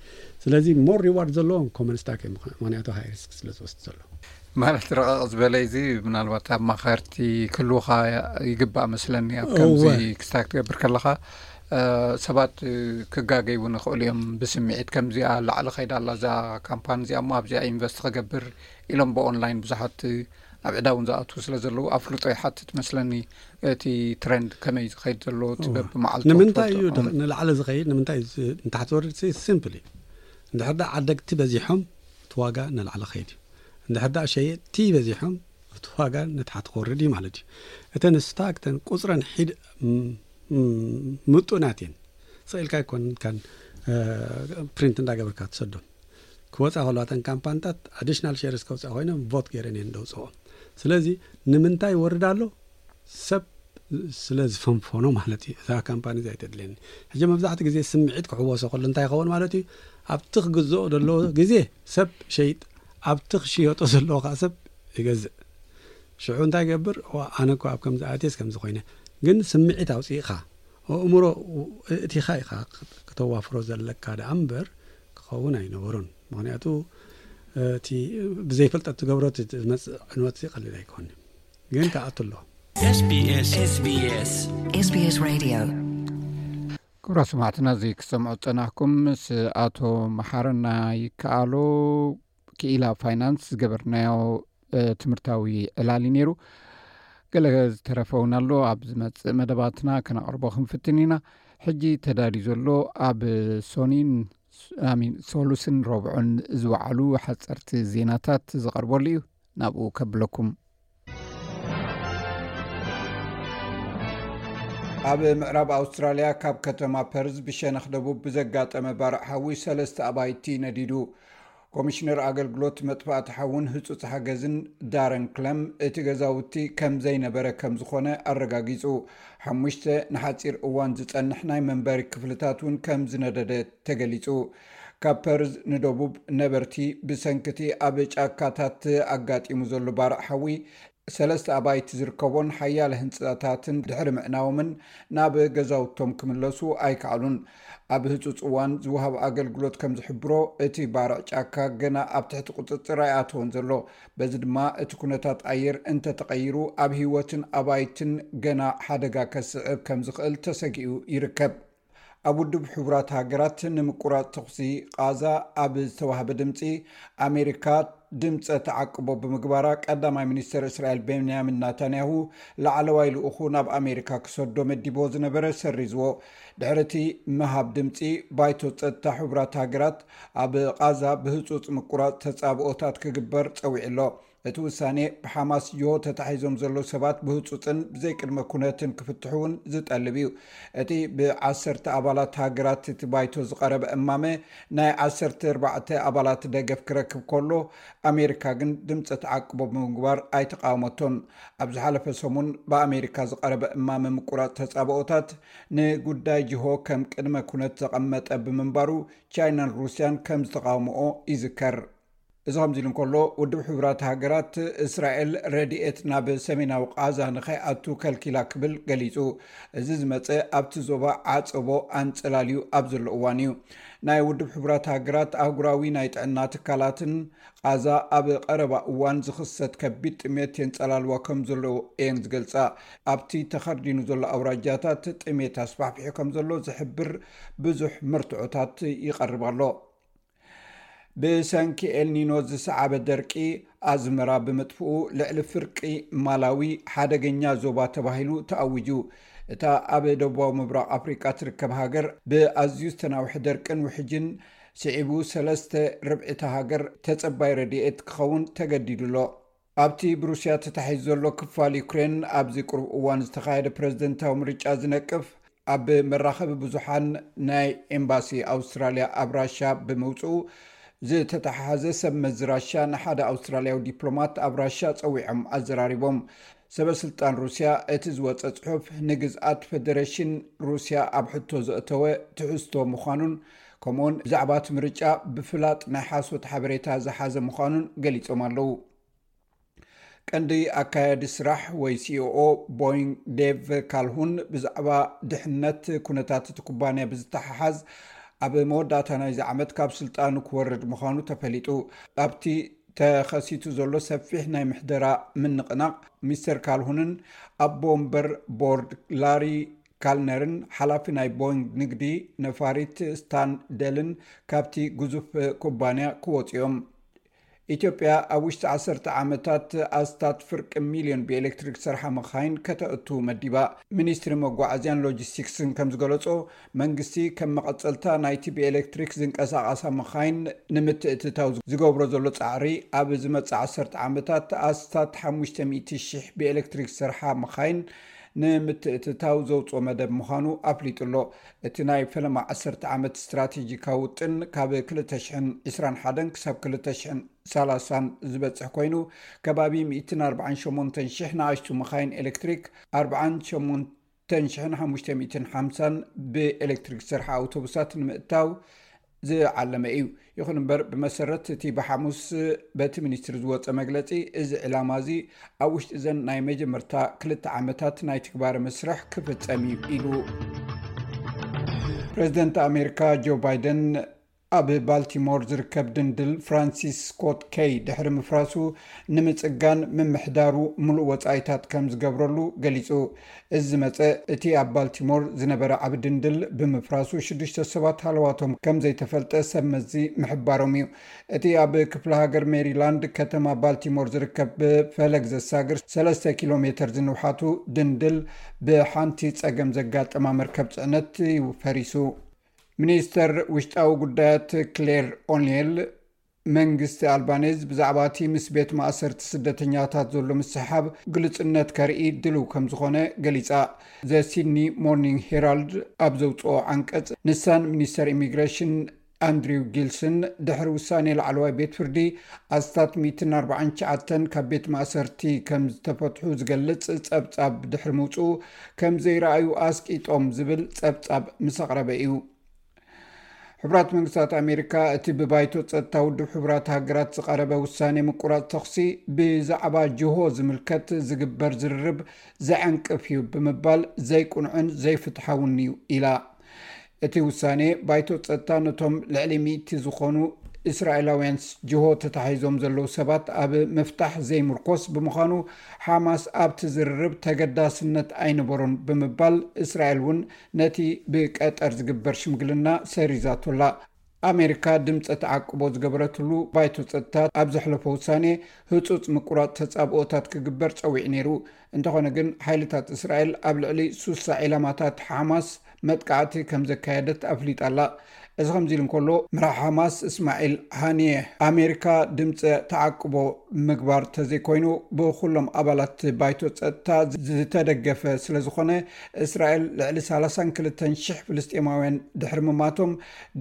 ስለዚ ሞር ሪዋርድ ዘለዎም ኮመን ስታክ እዮም፣ ምክንያቱ ሃይ ሪስክ ስለ ዝወስድ ዘሎ። ማለት ረቐቕ ዝበለ እዚ ምናልባት ኣማኸርቲ ክህልውኻ ይግባእ መስለኒ ኣብ ከምዚ እወ። ክስታክ ትገብር ከለኻ ሰባት ክጋገይ እውን ይኽእሉ እዮም። ብስምዒት ከምዚኣ ላዕሊ ከይዳ ኣላ እዛ ካምፓኒ እዚኣ እሞ ኣብዚኣ ኢንቨስት ክገብር ኢሎም ብኦንላይን ብዙሓት ኣብ ዕዳ እውን ዝኣትዉ ስለ ዘለዉ ኣፍልጦ ይሓትት መስለኒ። እቲ ትረንድ ከመይ ዝኸይድ ዘሎ እቲ በብመዓልቱ ንምንታይ እዩ ክትፈልጦ። ንላዕሊ ዝኸይድ ንምንታይ እዩ ንታሕቲ ዝወርድ? ሲምፕል እዩ። እንድሕር ዳ ዓደግቲ በዚሖም እቲ ዋጋ ንላዕሊ ኸይድ እዩ። እንድሕር ዳ ሸየጥቲ በዚሖም እቲ ዋጋ ንታሕቲ ክወርድ እዩ ማለት እዩ። እተን ስታክ እተን ቁፅረን ሒድ ምጡናት እየን። ስቕ ኢልካ ኣይኮን ካን ፕሪንት እንዳገበርካ ትሰዶም ክወፃ ከለዋ እተን ካምፓንታት ኣዲሽናል ሼርስ ከውፅኣ ኮይኖም ቮት ገይረን እየን ደውፅኦ። ስለዚ ንምንታይ ይወርድ ኣሎ? ሰብ ስለ ዝፈንፈኖ ማለት እዩ። እዛ ካምፓኒ እዚኣ ኣይተድልየኒ። ሕጂ መብዛሕትኡ ግዜ ስምዒት ክሕወሶ ከሎ እንታይ ይኸውን ማለት እዩ? ኣብቲ ክግዝኦ ዘለዎ ግዜ ሰብ ሸይጥ፣ ኣብቲ ክሽየጦ ዘለዎ ከዓ ሰብ ይገዝእ። ሽዑ እንታይ ይገብር? ዋ፣ ኣነ እኮ ኣብ ከምዚ ኣትየስ ከምዚ ኮይነ። ግን ስምዒት ኣውፂእኻ ኣእምሮ እቲኻ ኢኻ ክተዋፍሮ ዘለካ ደኣ እምበር ክኸውን ኣይነበሮን። ምኽንያቱ እቲ ብዘይፈልጠት ትገብሮ እቲ ዝመጽእ ዕንወት ቀሊል ኣይኮን፣ ግን ክኣቱ ኣሎ። SBS SBS SBS Radio ክቡራ ሰማዕትና፣ እዚ ክሰምዑ ጸናሕኩም ምስ ኣቶ መሓረና ይከኣሉ ክኢላ ፋይናንስ ዝገበርናዮ ትምህርታዊ ዕላል ነይሩ። ገለ ዝተረፈውን ኣሎ፣ ኣብ ዝመጽእ መደባትና ከነቕርቦ ክንፍትን ኢና። ሕጂ ተዳልዩ ዘሎ ኣብ ሶኒን ኣሚን ሶሉስን ረብዑን ዝወዓሉ ሓጸርቲ ዜናታት ዝቐርበሉ እዩ። ናብኡ ከብለኩም። ኣብ ምዕራብ ኣውስትራልያ ካብ ከተማ ፐርዝ ብሸነኽ ደቡብ ብዘጋጠመ ባርዕ ሓዊ ሰለስተ ኣባይቲ ነዲዱ። ኮሚሽነር ኣገልግሎት መጥፋእቲ ሓውን ህጹጽ ሓገዝን ዳረን ክለም እቲ ገዛውቲ ከም ዘይነበረ ከም ዝኾነ ኣረጋጊጹ። ሓሙሽተ ንሓጺር እዋን ዝጸንሕ ናይ መንበሪ ክፍልታት እውን ከም ዝነደደ ተገሊጹ። ካብ ፐርዝ ንደቡብ ነበርቲ ብሰንክቲ ኣብ ጫካታት ኣጋጢሙ ዘሎ ባርዕ ሓዊ ሰለስተ ኣባይቲ ዝርከቦን ሓያለ ህንጻታትን ድሕሪ ምዕናዎምን ናብ ገዛውቶም ክምለሱ ኣይከኣሉን። ኣብ ህጹጽ እዋን ዝወሃብ ኣገልግሎት ከም ዝሕብሮ፣ እቲ ባርዕ ጫካ ገና ኣብ ትሕቲ ቁጽጽር ኣይኣተወን ዘሎ። በዚ ድማ እቲ ኩነታት ኣየር እንተተቐይሩ ኣብ ህይወትን ኣባይትን ገና ሓደጋ ከስዕብ ከም ዝኽእል ተሰጊኡ ይርከብ። ኣብ ውድብ ሕቡራት ሃገራት ንምቁራጽ ተኹሲ ቓዛ ኣብ ዝተዋህበ ድምጺ፣ ኣሜሪካ ድምጸ ተዓቅቦ ብምግባራ፣ ቀዳማይ ሚኒስተር እስራኤል ቤንያሚን ናታንያሁ ላዕለዋይ ልኡኹ ናብ ኣሜሪካ ክሰዶ መዲቦ ዝነበረ ሰሪዝዎ። ድሕሪ እቲ ምሃብ ድምጺ፣ ባይቶ ጸጥታ ሕቡራት ሃገራት ኣብ ቓዛ ብህጹጽ ምቁራጽ ተጻብኦታት ክግበር ጸዊዑ ኣሎ። እቲ ውሳኔ ብሓማስ ጅሆ ተታሒዞም ዘለዉ ሰባት ብህጹጽን ብዘይቅድመ ኩነትን ክፍትሑ እውን ዝጠልብ እዩ። እቲ ብዓሰርተ ኣባላት ሃገራት እቲ ባይቶ ዝቐረበ እማመ ናይ ዓሰርተ ኣርባዕተ ኣባላት ደገፍ ክረክብ ከሎ፣ ኣሜሪካ ግን ድምጺ ተዓቅቦ ብምግባር ኣይተቃወመቶን። ኣብ ዝሓለፈ ሰሙን ብኣሜሪካ ዝቐረበ እማመ ምቁራጽ ተጻብኦታት ንጉዳይ ጅሆ ከም ቅድመ ኩነት ዘቐመጠ ብምንባሩ፣ ቻይናን ሩስያን ከም ዝተቃወምኦ ይዝከር። እዚ ከምዚ ኢሉ እንከሎ፣ ውድብ ሕቡራት ሃገራት እስራኤል ረድኤት ናብ ሰሜናዊ ቓዛ ንኸይኣቱ ከልኪላ ክብል ገሊጹ። እዚ ዝመጸ ኣብቲ ዞባ ዓጸቦ ኣንጸላልዩ ኣብ ዘሎ እዋን እዩ። ናይ ውድብ ሕቡራት ሃገራት ኣህጉራዊ ናይ ጥዕና ትካላትን ቓዛ ኣብ ቀረባ እዋን ዝኽሰት ከቢድ ጥሜት የንጸላልዋ ከም ዘሎ እየን ዝገልጻ። ኣብቲ ተኸርዲኑ ዘሎ ኣውራጃታት ጥሜት ኣስፋሕፊሑ ከም ዘሎ ዝሕብር ብዙሕ መርትዖታት ይቐርብ ኣሎ። ብሰንኪ ኤልኒኖ ዝሰዓበ ደርቂ ኣዝመራ ብምጥፍኡ፣ ልዕሊ ፍርቂ ማላዊ ሓደገኛ ዞባ ተባሂሉ ተኣዊጁ። እታ ኣብ ደቡባዊ ምብራቕ ኣፍሪቃ ትርከብ ሃገር፣ ብኣዝዩ ዝተናውሐ ደርቅን ውሕጅን ስዒቡ፣ ሰለስተ ርብዒ እታ ሃገር ተጸባይ ረድኤት ክኸውን ተገዲዱ ኣሎ። ኣብቲ ብሩስያ ተታሒዙ ዘሎ ክፋል ዩክሬን፣ ኣብዚ ቅሩብ እዋን ዝተኻየደ ፕረዚደንታዊ ምርጫ ዝነቅፍ፣ ኣብ መራኸቢ ብዙሓን ናይ ኤምባሲ ኣውስትራልያ ኣብ ራሻ ብምውጽኡ ዝተተሓሓዘ፣ ሰብ መዚ ራሻ ንሓደ ኣውስትራልያዊ ዲፕሎማት ኣብ ራሻ ጸዊዖም ኣዘራሪቦም። ሰበ ስልጣን ሩስያ እቲ ዝወጸ ጽሑፍ ንግዝኣት ፈደረሽን ሩስያ ኣብ ሕቶ ዘእተወ ትሕዝቶ ምዃኑን፣ ከምኡውን ብዛዕባ እቲ ምርጫ ብፍላጥ ናይ ሓሶት ሓበሬታ ዝሓዘ ምዃኑን ገሊጾም ኣለዉ። ቀንዲ ኣካያዲ ስራሕ ወይ ሲኦኦ ቦይንግ ዴቭ ካልሁን ብዛዕባ ድሕነት ኩነታት እቲ ኩባንያ ብዝተሓሓዝ፣ ኣብ መወዳእታ ናይዚ ዓመት ካብ ስልጣኑ ክወርድ ምዃኑ ተፈሊጡ። ኣብቲ ተኸሲቱ ዘሎ ሰፊሕ ናይ ምሕደራ ምንቕናቕ፣ ሚስተር ካልሁንን ኣቦ ወንበር ቦርድ ላሪ ካልነርን ሓላፊ ናይ ቦይንግ ንግዲ ነፋሪት ስታን ደልን ካብቲ ግዙፍ ኩባንያ ክወጹ እዮም። ኢትዮጵያ ኣብ ውሽጢ ዓሰርተ ዓመታት ኣስታት ፍርቂ ሚልዮን ብኤሌክትሪክ ዝሰርሓ መኻይን ከተእቱ መዲባ። ሚኒስትሪ መጓዓዝያን ሎጂስቲክስን ከም ዝገለጾ፣ መንግስቲ ከም መቐጸልታ ናይቲ ብኤሌክትሪክ ዝንቀሳቐሳ መኻይን ንምትእትታው ዝገብሮ ዘሎ ጻዕሪ፣ ኣብ ዝመጽእ ዓሰርተ ዓመታት ኣስታት ሓሙሽተ ሚእቲ ሽሕ ብኤሌክትሪክ ዝሰርሓ መኻይን ንምትእትታው ዘውጽኦ መደብ ምዃኑ ኣፍሊጡ ኣሎ። እቲ ናይ ፈለማ ዓሰርተ ዓመት ስትራቴጂካዊ ውጥን ካብ ክልተ ሽሕን ዕስራን ሓደን ክሳብ ክልተ ሽሕን ሰላሳን ዝበጽሕ ኮይኑ፣ ከባቢ ሚእትን ኣርባዓን ሸሞንተን ሽሕ ንኣሽቱ መኻይን ኤሌክትሪክ፣ ኣርባዓን ሸሞንተን ሽሕን ሓሙሽተ ሚእትን ሓምሳን ብኤሌክትሪክ ዝሰርሓ ኣውቶቡሳት ንምእታው ዝዓለመ እዩ። ይኹን እምበር፣ ብመሰረት እቲ ብሓሙስ በቲ ሚኒስትሪ ዝወፀ መግለፂ፣ እዚ ዕላማ እዚ ኣብ ውሽጢ እዘን ናይ መጀመርታ ክልተ ዓመታት ናይ ትግባረ መስርሕ ክፍፀም እዩ ኢሉ። ፕሬዚደንት ኣሜሪካ ጆ ባይደን ኣብ ባልቲሞር ዝርከብ ድንድል ፍራንሲስ ስኮት ኬይ ድሕሪ ምፍራሱ ንምጽጋን ምምሕዳሩ ምሉእ ወጻኢታት ከም ዝገብረሉ ገሊጹ። እዚ ዝመጸ እቲ ኣብ ባልቲሞር ዝነበረ ዓቢ ድንድል ብምፍራሱ ሽዱሽተ ሰባት ሃለዋቶም ከም ዘይተፈልጠ ሰብ መዚ ምሕባሮም እዩ። እቲ ኣብ ክፍለ ሃገር ሜሪላንድ ከተማ ባልቲሞር ዝርከብ ብፈለግ ዘሳግር ሰለስተ ኪሎ ሜተር ዝንውሓቱ ድንድል ብሓንቲ ጸገም ዘጋጠማ መርከብ ጽዕነት እዩ ፈሪሱ። ሚኒስተር ውሽጣዊ ጉዳያት ክሌር ኦኔል መንግስቲ ኣልባኔዝ ብዛዕባ እቲ ምስ ቤት ማእሰርቲ ስደተኛታት ዘሎ ምስሕሓብ ግሉጽነት ከርኢ ድልው ከም ዝኾነ ገሊጻ። ዘ ሲድኒ ሞርኒንግ ሄራልድ ኣብ ዘውጽኦ ዓንቀጽ፣ ንሳን ሚኒስተር ኢሚግሬሽን ኣንድሪው ጊልስን ድሕሪ ውሳኔ ላዕለዋይ ቤት ፍርዲ ኣስታት ሚእትን ኣርባዓን ትሽዓተን ካብ ቤት ማእሰርቲ ከም ዝተፈትሑ ዝገልጽ ጸብጻብ ድሕሪ ምውጽኡ ከም ዘይረኣዩ ኣስቂጦም ዝብል ጸብጻብ ምስ ኣቕረበ እዩ። ሕቡራት መንግስታት ኣሜሪካ እቲ ብባይቶ ጸጥታ ውድብ ሕቡራት ሃገራት ዝቐረበ ውሳኔ ምቁራጽ ተኹሲ ብዛዕባ ጅሆ ዝምልከት ዝግበር ዝርርብ ዘዐንቅፍ እዩ ብምባል ዘይቁኑዕን ዘይፍትሓውን እዩ ኢላ። እቲ ውሳኔ ባይቶ ጸጥታ ነቶም ልዕሊ ሚእቲ ዝኾኑ እስራኤላውያን ጅሆ ተታሒዞም ዘለዉ ሰባት ኣብ ምፍታሕ ዘይምርኮስ ብምዃኑ፣ ሓማስ ኣብቲ ዝርርብ ተገዳስነት ኣይነበሮን ብምባል፣ እስራኤል እውን ነቲ ብቀጠር ዝግበር ሽምግልና ሰሪዛቶ ኣላ። ኣሜሪካ ድምፀ ተዓቅቦ ዝገበረትሉ ባይቶ ጸጥታ ኣብ ዘሕለፎ ውሳኔ ህጹጽ ምቁራጽ ተጻብኦታት ክግበር ጸዊዑ ነይሩ። እንተኾነ ግን፣ ሓይልታት እስራኤል ኣብ ልዕሊ ሱሳ ዒላማታት ሓማስ መጥቃዕቲ ከም ዘካየደት ኣፍሊጣ ኣላ። እዚ ከምዚ ኢሉ እንከሎ፣ መራሕ ሓማስ እስማዒል ሃኒየ፣ ኣሜሪካ ድምፀ ተዓቅቦ ምግባር ተዘይኮይኑ፣ ብኩሎም ኣባላት ባይቶ ጸጥታ ዝተደገፈ ስለዝኾነ፣ እስራኤል ልዕሊ ሰላሳን ክልተን ሽሕ ፍልስጤማውያን ድሕሪ ምማቶም፣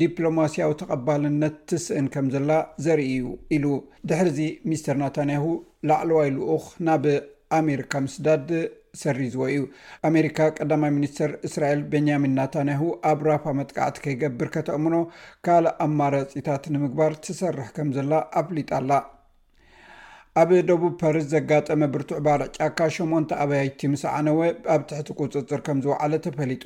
ዲፕሎማስያዊ ተቐባልነት ትስእን ከም ዘላ ዘርኢ እዩ ኢሉ። ድሕርዚ ሚስተር ናታንያሁ ላዕለዋይ ልኡኽ ናብ ኣሜሪካ ምስዳድ ሰሪዝዎ እዩ። ኣሜሪካ ቀዳማይ ሚኒስተር እስራኤል ቤንያሚን ናታንያሁ ኣብ ራፋ መጥቃዕቲ ከይገብር ከተእምኖ ካልእ ኣማራጺታት ንምግባር ትሰርሕ ከም ዘላ ኣፍሊጣ ኣላ። ኣብ ደቡብ ፐርዝ ዘጋጠመ ብርቱዕ ባርዕ ጫካ ሸሞንተ ኣባይቲ ምስ ዓነወ ኣብ ትሕቲ ቁጽጽር ከም ዝወዓለ ተፈሊጡ።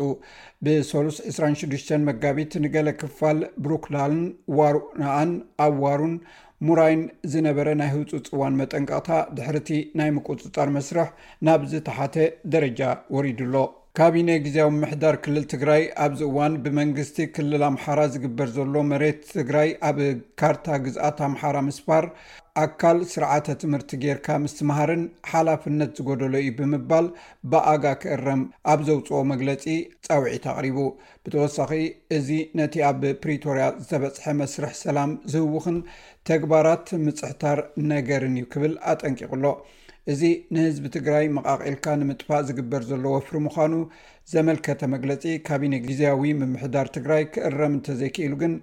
ብሰሉስ ዕስራን ሽዱሽተን መጋቢት ንገለ ክፋል ብሩክላልን ዋሩናኣን ኣብ ዋሩን ሙራይን ዝነበረ ናይ ህጹጽ እዋን መጠንቀቕታ ድሕርቲ ናይ ምቁጽጻር መስርሕ ናብ ዝተሓተ ደረጃ ወሪዱ ኣሎ። ካቢነ ግዝያዊ ምምሕዳር ክልል ትግራይ ኣብዚ እዋን ብመንግስቲ ክልል ኣምሓራ ዝግበር ዘሎ መሬት ትግራይ ኣብ ካርታ ግዝኣት ኣምሓራ ምስፋር ኣካል ስርዓተ ትምህርቲ ጌርካ ምስትምሃርን ሓላፍነት ዝጎደሎ እዩ ብምባል ብኣጋ ክእረም ኣብ ዘውፅኦ መግለፂ ፃውዒት ኣቕሪቡ። ብተወሳኺ፣ እዚ ነቲ ኣብ ፕሪቶርያ ዝተበፅሐ መስርሕ ሰላም ዝህውኽን ተግባራት ምፅሕታር ነገርን እዩ ክብል ኣጠንቂቑ ኣሎ። እዚ ንህዝቢ ትግራይ መቓቒልካ ንምጥፋእ ዝግበር ዘሎ ወፍሪ ምዃኑ ዘመልከተ መግለፂ ካቢነ ግዝያዊ ምምሕዳር ትግራይ ክእረም እንተዘይክኢሉ ግን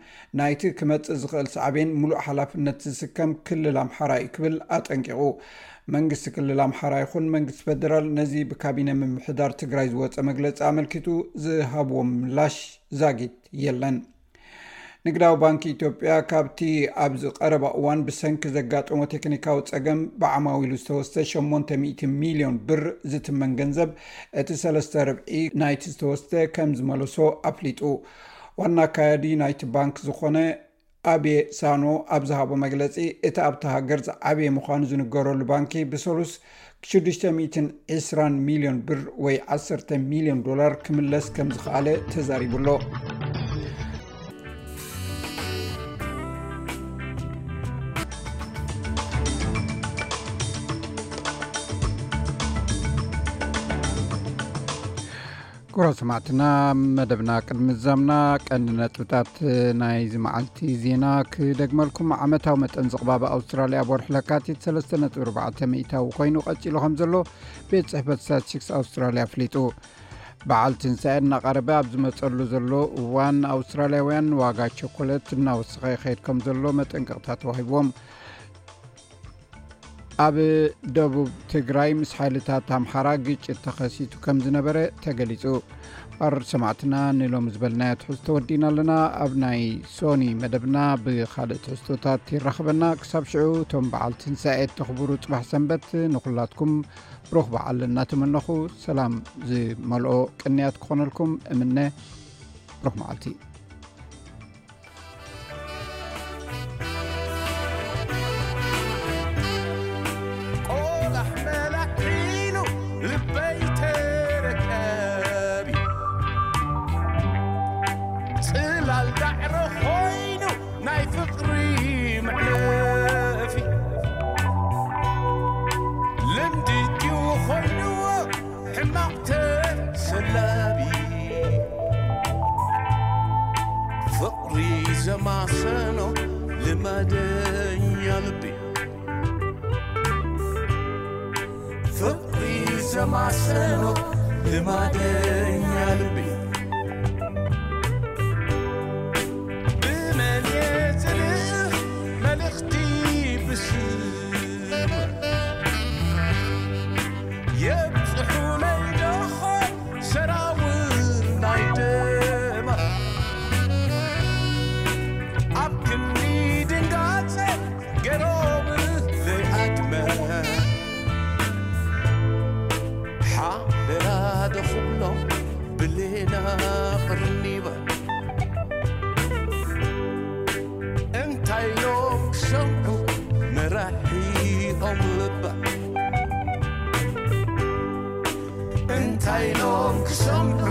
ናይቲ ክመፅእ ዝኽእል ሳዕቤን ሙሉእ ሓላፍነት ዝስከም ክልል ኣምሓራ እዩ ክብል ኣጠንቂቑ። መንግስቲ ክልል ኣምሓራ ይኹን መንግስቲ ፌደራል ነዚ ብካቢነ ምምሕዳር ትግራይ ዝወፀ መግለፂ ኣመልኪቱ ዝሃብዎ ምላሽ ዛጊት የለን። ንግዳዊ ባንኪ ኢትዮጵያ ካብቲ ኣብዚ ቀረባ እዋን ብሰንኪ ዘጋጠሞ ቴክኒካዊ ጸገም ብዓማዊሉ ዝተወስደ ሸሞንተ ሚእቲ ሚልዮን ብር ዝትመን ገንዘብ እቲ ሰለስተ ርብዒ ናይቲ ዝተወስደ ከም ዝመለሶ ኣፍሊጡ። ዋና ኣካያዲ ናይቲ ባንክ ዝኾነ ኣቤ ሳኖ ኣብ ዝሃቦ መግለጺ፣ እቲ ኣብታ ሃገር ዝዓበየ ምዃኑ ዝንገረሉ ባንኪ ብሰሉስ ሽዱሽተ ሚእትን ዕስራን ሚልዮን ብር ወይ ዓሰርተ ሚልዮን ዶላር ክምለስ ከም ዝኸኣለ ተዛሪቡ ኣሎ። ክቡራት ሰማዕትና፣ መደብና ቅድሚ ምዛምና ቀንዲ ነጥብታት ናይዚ መዓልቲ ዜና ክደግመልኩም። ዓመታዊ መጠን ዝቕባበ ኣውስትራልያ ኣብ ወርሒ ለካቲት ሰለስተ ነጥቢ ኣርባዕተ ሚእታዊ ኮይኑ ቀጺሉ ከም ዘሎ ቤት ጽሕፈት ስታቲስቲክስ ኣውስትራልያ ኣፍሊጡ። በዓል ትንሳኤ እናቐረበ ኣብ ዝመጸሉ ዘሎ እዋን፣ ኣውስትራልያውያን ዋጋ ቸኮለት እናወሰኸ ይኸይድ ከም ዘሎ መጠንቀቕታ ተዋሂብዎም። ኣብ ደቡብ ትግራይ ምስ ሓይልታት ኣምሓራ ግጭት ተኸሲቱ ከም ዝነበረ ተገሊጹ። ኣር ሰማዕትና፣ ንሎም ዝበልናዮ ትሕዝቶ ወዲና ኣለና። ኣብ ናይ ሶኒ መደብና ብኻልእ ትሕዝቶታት ይራኽበና። ክሳብ ሽዑ፣ እቶም በዓል ትንሳኤ፣ ተኽብሩ ጽባሕ ሰንበት፣ ንኹላትኩም ብሩኽ በዓል እናተመነኹ፣ ሰላም ዝመልኦ ቅንያት ክኾነልኩም እምነ። ብሩኽ መዓልቲ። ቆላሕ መላሕ ኢሉ ልበይ ተረከቢ፣ ጽላል ዳዕሮ ኮይኑ ናይ ፍቕሪ መዕለፊ፣ ልምዲ ድዩ ኮይንዎ ሕማቕ ተሰላቢ፣ ፍቕሪ ዘማሰኖ ልማደኛ ልቢ፣ ፍቕሪ ዘማሰኖ ልማደኛ ልቢ፣ ብመን እየ ዝልእኽ መልእኽቲ ብስም የብጽሑለይ ደኾ ሰራውር ናይ ደማ፣ ኣብ ክንዲ ድንጋጸ ገሮም ዘይኣድመ፣ ሓደራ ዶ ክብሎም ብሌና ቅርኒባ፣ እንታይ ኢሎም ክሰምዑ መራሒኦም ልባ፣ እንታይ ኢሎም ክሰምዑ